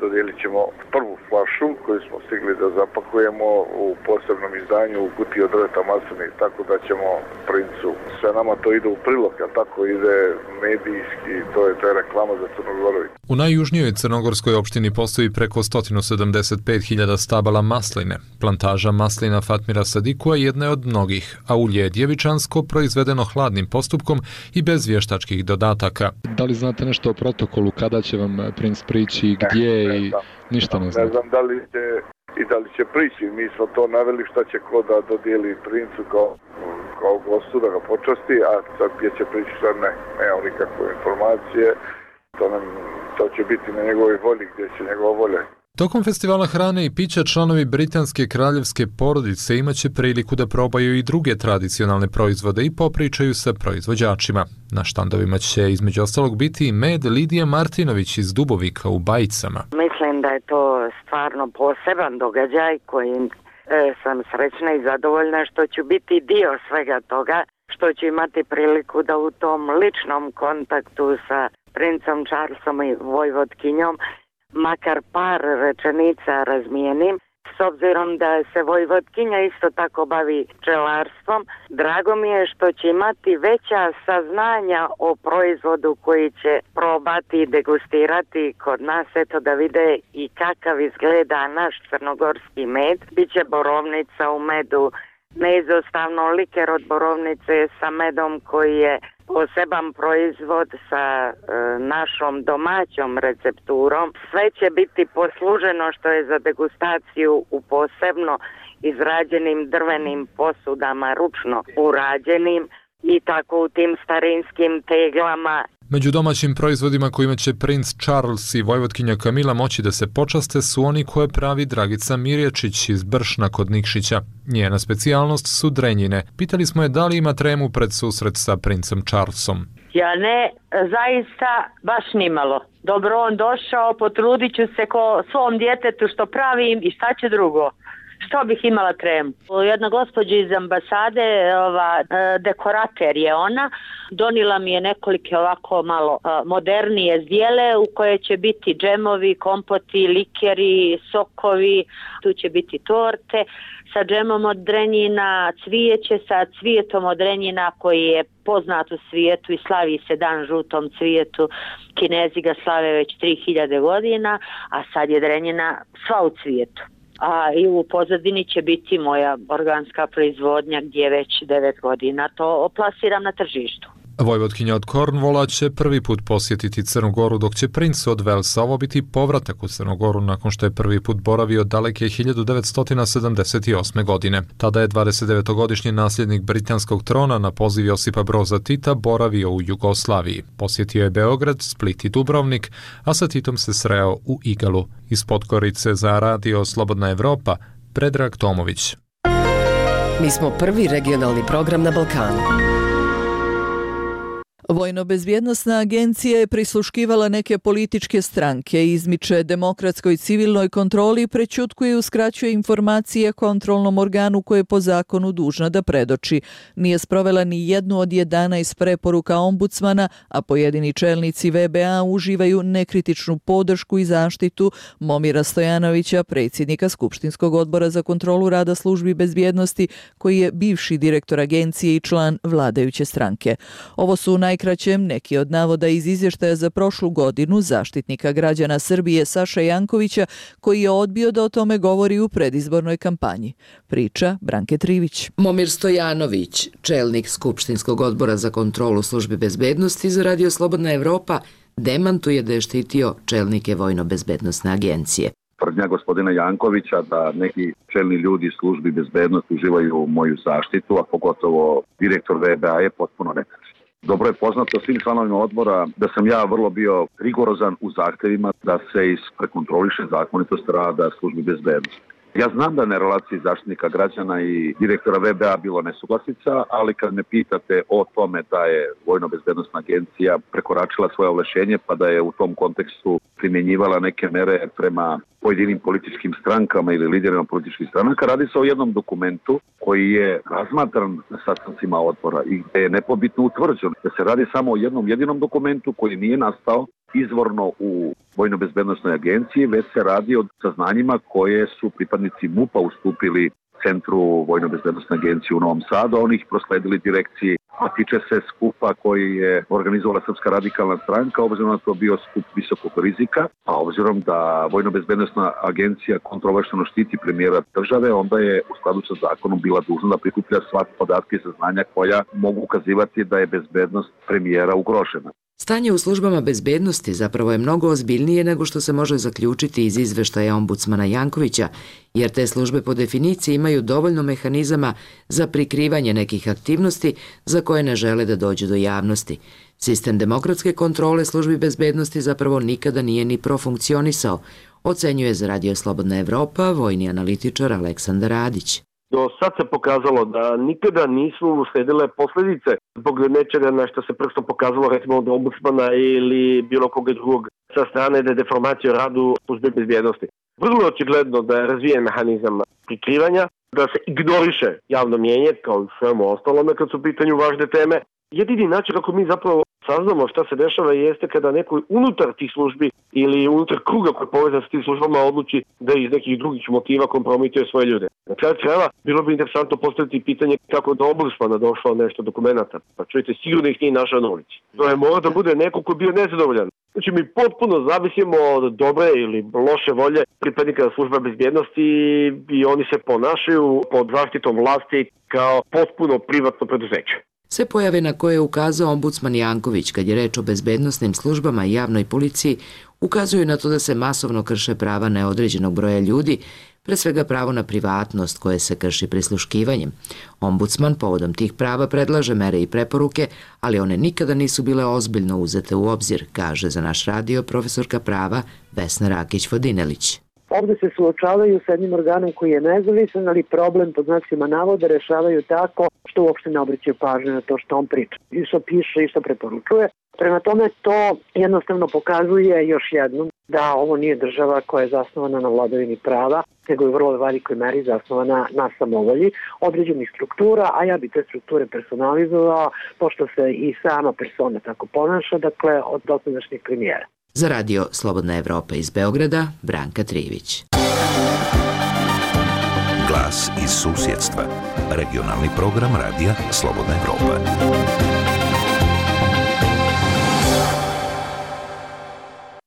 dodijelit ćemo prvu flašu koju smo stigli da zapakujemo u posebnom izdanju u kutiji od drveta masline, tako da ćemo princu. Sve nama to ide u prilog, a tako ide medijski, to je reklama za Crnu Goru. U najjužnijoj crnogorskoj opštini postoji preko 175.000 stabala masline. Plantaža maslina Fatmira Sadikua jedna je od mnogih, a ulje je djevičansko, proizvedeno hladnim postupkom i bez vještačkih dodataka. Da li znate nešto o protokolu, kada će vam princ prići, gdje i ništa ne znam? Ne znam da li će prići, mi smo to naveli šta će ko da dodijeli princu kao gostu da ga počasti, a sad gdje će prići sad nemamo nikakve informacije, to će biti na njegovoj volji, gdje će njegova volja. Tokom festivala hrane i pića članovi britanske kraljevske porodice imaće priliku da probaju i druge tradicionalne proizvode i popričaju sa proizvođačima. Na štandovima će između ostalog biti i med Lidija Martinović iz Dubovika u Bajicama. Mislim da je to stvarno poseban događaj kojim sam srećna i zadovoljna što ću biti dio svega toga, što ću imati priliku da u tom ličnom kontaktu sa princom Charlesom i Vojvodkinjom makar par rečenica razmijenim. s obzirom da se Vojvodkinja isto tako bavi pčelarstvom, drago mi je što će imati veća saznanja o proizvodu koji će probati i degustirati kod nas, eto da vide i kakav izgleda naš crnogorski med. Biće borovnica u medu, neizostavno liker od borovnice sa medom koji je poseban proizvod sa našom domaćom recepturom. Sve će biti posluženo što je za degustaciju u posebno izrađenim drvenim posudama, ručno urađenim i tako u tim starinskim teglama. Među domaćim proizvodima kojima će princ Charles i vojvotkinja Kamila moći da se počaste su oni koje pravi Dragica Mirječić iz Bršna kod Nikšića. Njena specijalnost su drenjine. Pitali smo je da li ima tremu pred susret sa princem Charlesom. Ja ne, zaista baš nimalo. Dobro on došao, potrudit ću se ko svom djetetu što pravim i šta će drugo. Što bih imala tremu? Jedna gospođa iz ambasade, dekorater je ona, donila mi je nekolike ovako malo modernije zdjele u koje će biti džemovi, kompoti, likeri, sokovi, tu će biti torte sa džemom od drenjina, cvijeće sa cvijetom od drenjina koji je poznat u svijetu i slavi se dan žutom cvijetu. Kinezi ga slave već 3000 godina, a sad je drenjina sva u cvijetu. A i u pozadini će biti moja organska proizvodnja gdje već 9 godina to plasiram na tržištu. Vojvotkinja od Cornwalla će prvi put posjetiti Crnu Goru, dok će princ od Velsa ovo biti povratak u Crnu Goru nakon što je prvi put boravio daleke 1978. godine. Tada je 29-godišnji nasljednik britanskog trona na poziv Josipa Broza Tita boravio u Jugoslaviji. Posjetio je Beograd, Split i Dubrovnik, a sa Titom se sreo u Igalu. Iz Podgorice za Radio Slobodna Evropa, Predrag Tomović. Mi smo prvi regionalni program na Balkanu. Vojno-bezbjednosna agencija je prisluškivala neke političke stranke, izmiče demokratskoj civilnoj kontroli, prećutkuje i uskraćuje informacije kontrolnom organu koje je po zakonu dužna da predoči. Nije sprovela ni jednu od 11 preporuka ombudsmana, a pojedini čelnici VBA uživaju nekritičnu podršku i zaštitu Momira Stojanovića, predsjednika Skupštinskog odbora za kontrolu rada službi bezbjednosti, koji je bivši direktor agencije i član vladajuće stranke. Ovo su najkraćem neki od navoda iz izvještaja za prošlu godinu zaštitnika građana Srbije Saša Jankovića, koji je odbio da o tome govori u predizbornoj kampanji. Priča Branke Trivić. Momir Stojanović, čelnik Skupštinskog odbora za kontrolu službi bezbednosti za Radio Slobodna Evropa, demantuje da je štitio čelnike Vojno-bezbednosne agencije. Tvrdnja gospodina Jankovića da neki čelni ljudi službi bezbednosti uživaju moju zaštitu, a pogotovo direktor VBA, je potpuno netačno. Dobro je poznato svim članovima odbora da sam ja vrlo bio rigorozan u zahtjevima da se prekontroliše zakonitost rada službi bezbednosti. Ja znam da na relaciji zaštitnika građana i direktora VBA bilo nesuglasica, ali kad me pitate o tome da je Vojno-bezbednosna agencija prekoračila svoje ovlašenje pa da je u tom kontekstu primjenjivala neke mere prema pojedinim političkim strankama ili liderima političkih stranaka, radi se o jednom dokumentu koji je razmatran na sastancima odbora i gdje je nepobitno utvrđeno da se radi samo o jednom jedinom dokumentu koji nije nastao izvorno u Vojno-bezbednosnoj agenciji, već se radi o saznanjima koje su pripadnici MUP-a ustupili Centru Vojno-bezbednosne agencije u Novom Sadu, a oni ih prosledili direkciji, a tiče se skupa koji je organizovala Srpska radikalna stranka, obzirom da to bio skup visokog rizika, a obzirom da Vojno-bezbednosna agencija kontrolno štiti premijera države, onda je u skladu sa zakonom bila dužna da prikuplja sva podatke i saznanja koja mogu ukazivati da je bezbednost premijera ugrožena. Stanje u službama bezbednosti zapravo je mnogo ozbiljnije nego što se može zaključiti iz izveštaja ombudsmana Jankovića, jer te službe po definiciji imaju dovoljno mehanizama za prikrivanje nekih aktivnosti za koje ne žele da dođu do javnosti. Sistem demokratske kontrole službi bezbednosti zapravo nikada nije ni profunkcionisao, ocenjuje za Radio Slobodna Evropa vojni analitičar Aleksandar Radić. Do sad se pokazalo da nikada nisu usledile posljedice zbog nečega na što se prstom pokazalo, recimo od ombudsmana ili bilo koga drugog sa strane da je deformacija o radu službe bezbjednosti. Vrlo je očigledno da je razvijen mehanizam prikrivanja, da se ignoriše javno mnijenje kao i svemu ostalome kad su u pitanju važne teme. Jedini način kako mi zapravo saznamo šta se dešava jeste kada neko unutar tih službi ili unutar kruga koji je povezan s tim službama odluči da iz nekih drugih motiva kompromituje svoje ljude. Na kraju krajeva bilo bi interesantno postaviti pitanje kako do ombudsmana došlo nešto dokumenta. Pa čujete, sigurno ih nije našao na ulici. To je mora da bude neko ko je bio nezadovoljan. Znači mi potpuno zavisimo od dobre ili loše volje pripadnika službe bezbjednosti i oni se ponašaju pod zaštitom vlasti kao potpuno privatno preduzeće. Sve pojave na koje je ukazao ombudsman Janković kad je reč o bezbednosnim službama i javnoj policiji ukazuju na to da se masovno krše prava neodređenog broja ljudi, pre svega pravo na privatnost koje se krši prisluškivanjem. Ombudsman povodom tih prava predlaže mere i preporuke, ali one nikada nisu bile ozbiljno uzete u obzir, kaže za naš radio profesorka prava Vesna Rakić-Vodinelić. Ovdje se suočavaju s jednim organom koji je nezavisan, ali problem pod znacima navoda rešavaju tako što uopšte ne obraćaju pažnju na to što on priča. I što piše i što preporučuje. Prema tome to jednostavno pokazuje još jednom da ovo nije država koja je zasnovana na vladavini prava, nego je u vrlo velikoj meri zasnovana na samovolji određenih struktura, a ja bi te strukture personalizovao, pošto se i sama persona tako ponaša, dakle od dosadašnjeg premijera. Za radio Slobodna Evropa iz Beograda, Branka Trivić. Glas iz susjedstva. Regionalni program radija Slobodna Evropa.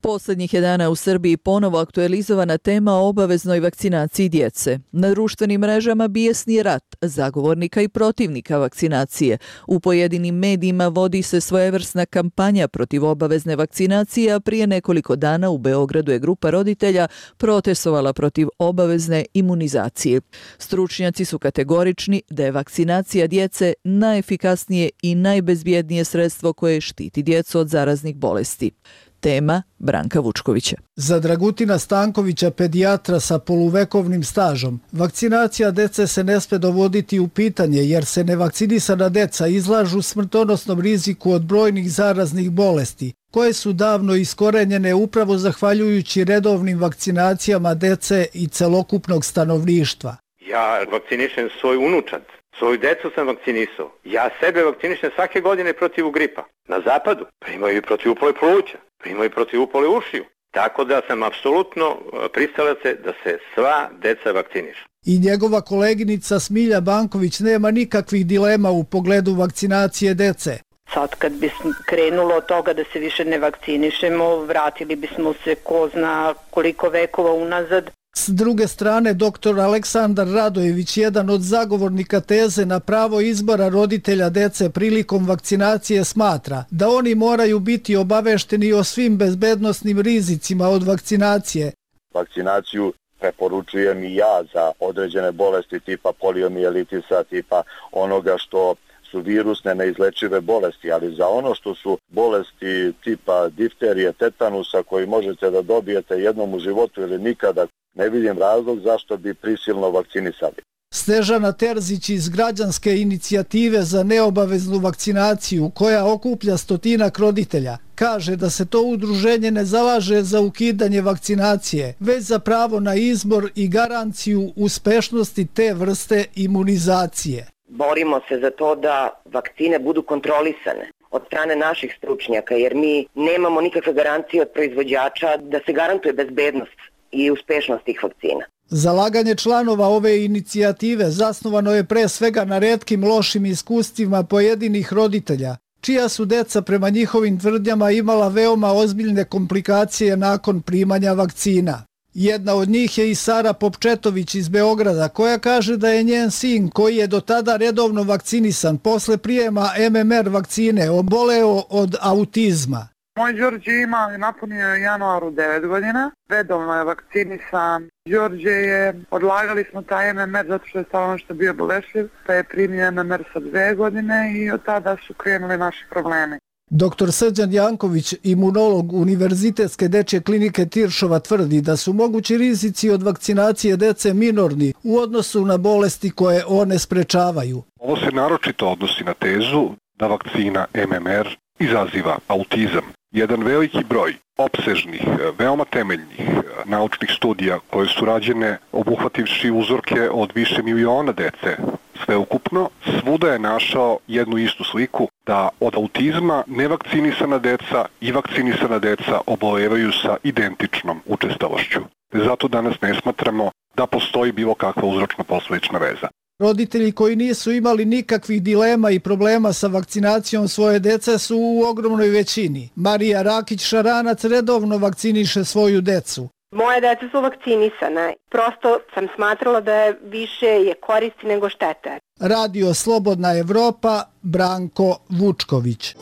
Posljednjih je dana u Srbiji ponovo aktualizovana tema o obaveznoj vakcinaciji djece. Na društvenim mrežama bijesni rat zagovornika i protivnika vakcinacije. U pojedinim medijima vodi se svojevrsna kampanja protiv obavezne vakcinacije, a prije nekoliko dana u Beogradu je grupa roditelja protestovala protiv obavezne imunizacije. Stručnjaci su kategorični da je vakcinacija djece najefikasnije i najbezbjednije sredstvo koje štiti djecu od zaraznih bolesti. Tema Branka Vučkovića. Za Dragutina Stankovića, pedijatra sa poluvekovnim stažom, vakcinacija dece se ne sme dovoditi u pitanje jer se nevakcinisana deca izlažu smrtonosnom riziku od brojnih zaraznih bolesti, koje su davno iskorenjene upravo zahvaljujući redovnim vakcinacijama dece i celokupnog stanovništva. Ja vakcinišem svoj unučad. Svoju decu sam vakcinisao. Ja sebe vakcinišem svake godine protiv gripa. Na zapadu primaju i protiv upale pluća, primaju i protiv upale ušiju. Tako da sam apsolutno pristalac da se sva deca vakcinišu. I njegova koleginica Smilja Banković nema nikakvih dilema u pogledu vakcinacije dece. Sad kad bi krenulo od toga da se više ne vakcinišemo, vratili bismo se ko zna koliko vekova unazad. S druge strane, dr. Aleksandar Radojević, jedan od zagovornika teze na pravo izbora roditelja dece prilikom vakcinacije, smatra da oni moraju biti obavešteni o svim bezbednosnim rizicima od vakcinacije. Vakcinaciju preporučujem i ja za određene bolesti tipa poliomijelitisa, tipa onoga što su virusne neizlečive bolesti, ali za ono što su bolesti tipa difterije, tetanusa koji možete da dobijete jednom u životu ili nikada, ne vidim razlog zašto bi prisilno vakcinisali. Snežana Terzić iz Građanske inicijative za neobaveznu vakcinaciju, koja okuplja stotinak roditelja, kaže da se to udruženje ne zalaže za ukidanje vakcinacije, već za pravo na izbor i garanciju uspešnosti te vrste imunizacije. Borimo se za to da vakcine budu kontrolisane od strane naših stručnjaka, jer mi nemamo nikakve garancije od proizvođača da se garantuje bezbednost i uspešnost tih vakcina. Zalaganje članova ove inicijative zasnovano je pre svega na retkim lošim iskustvima pojedinih roditelja, čija su deca prema njihovim tvrdnjama imala veoma ozbiljne komplikacije nakon primanja vakcina. Jedna od njih je i Sara Popčetović iz Beograda, koja kaže da je njen sin, koji je do tada redovno vakcinisan, posle prijema MMR vakcine oboleo od autizma. Moj Đorđe ima, napunio je januaru 9 godina, redovno je vakcinisan. Đorđe je, odlagali smo taj MMR zato što je stalno što bio bolešljiv, pa je primio MMR sa 2 godine i od tada su krenuli naši problemi. Dr. Srđan Janković, imunolog Univerzitetske dečje klinike Tiršova, tvrdi da su mogući rizici od vakcinacije dece minorni u odnosu na bolesti koje one sprečavaju. Ovo se naročito odnosi na tezu da vakcina MMR izaziva autizam. Jedan veliki broj opsežnih, veoma temeljnih naučnih studija koje su rađene obuhvativši uzorke od više miliona dece sveukupno, svuda je našao jednu istu sliku da od autizma nevakcinisana deca i vakcinisana deca obolevaju sa identičnom učestalošću. Zato danas ne smatramo da postoji bilo kakva uzročno-posledična veza. Roditelji koji nisu imali nikakvih dilema i problema sa vakcinacijom svoje dece su u ogromnoj većini. Marija Rakić-Šaranac redovno vakciniše svoju decu. Moje deca su vakcinisane. Prosto sam smatrala da je više koristi nego štete. Radio Slobodna Evropa, Branko Vučković.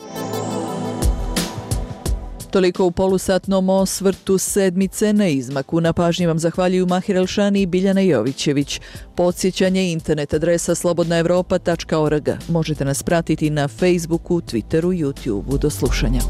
Toliko u polusatnom osvrtu sedmice. Na izmaku na pažnji vam zahvaljuju Mahir Elšani i Biljana Jovićević. Podsjećanje, internet adresa slobodnaevropa.org. Možete nas pratiti na Facebooku, Twitteru, YouTubeu. Do slušanja.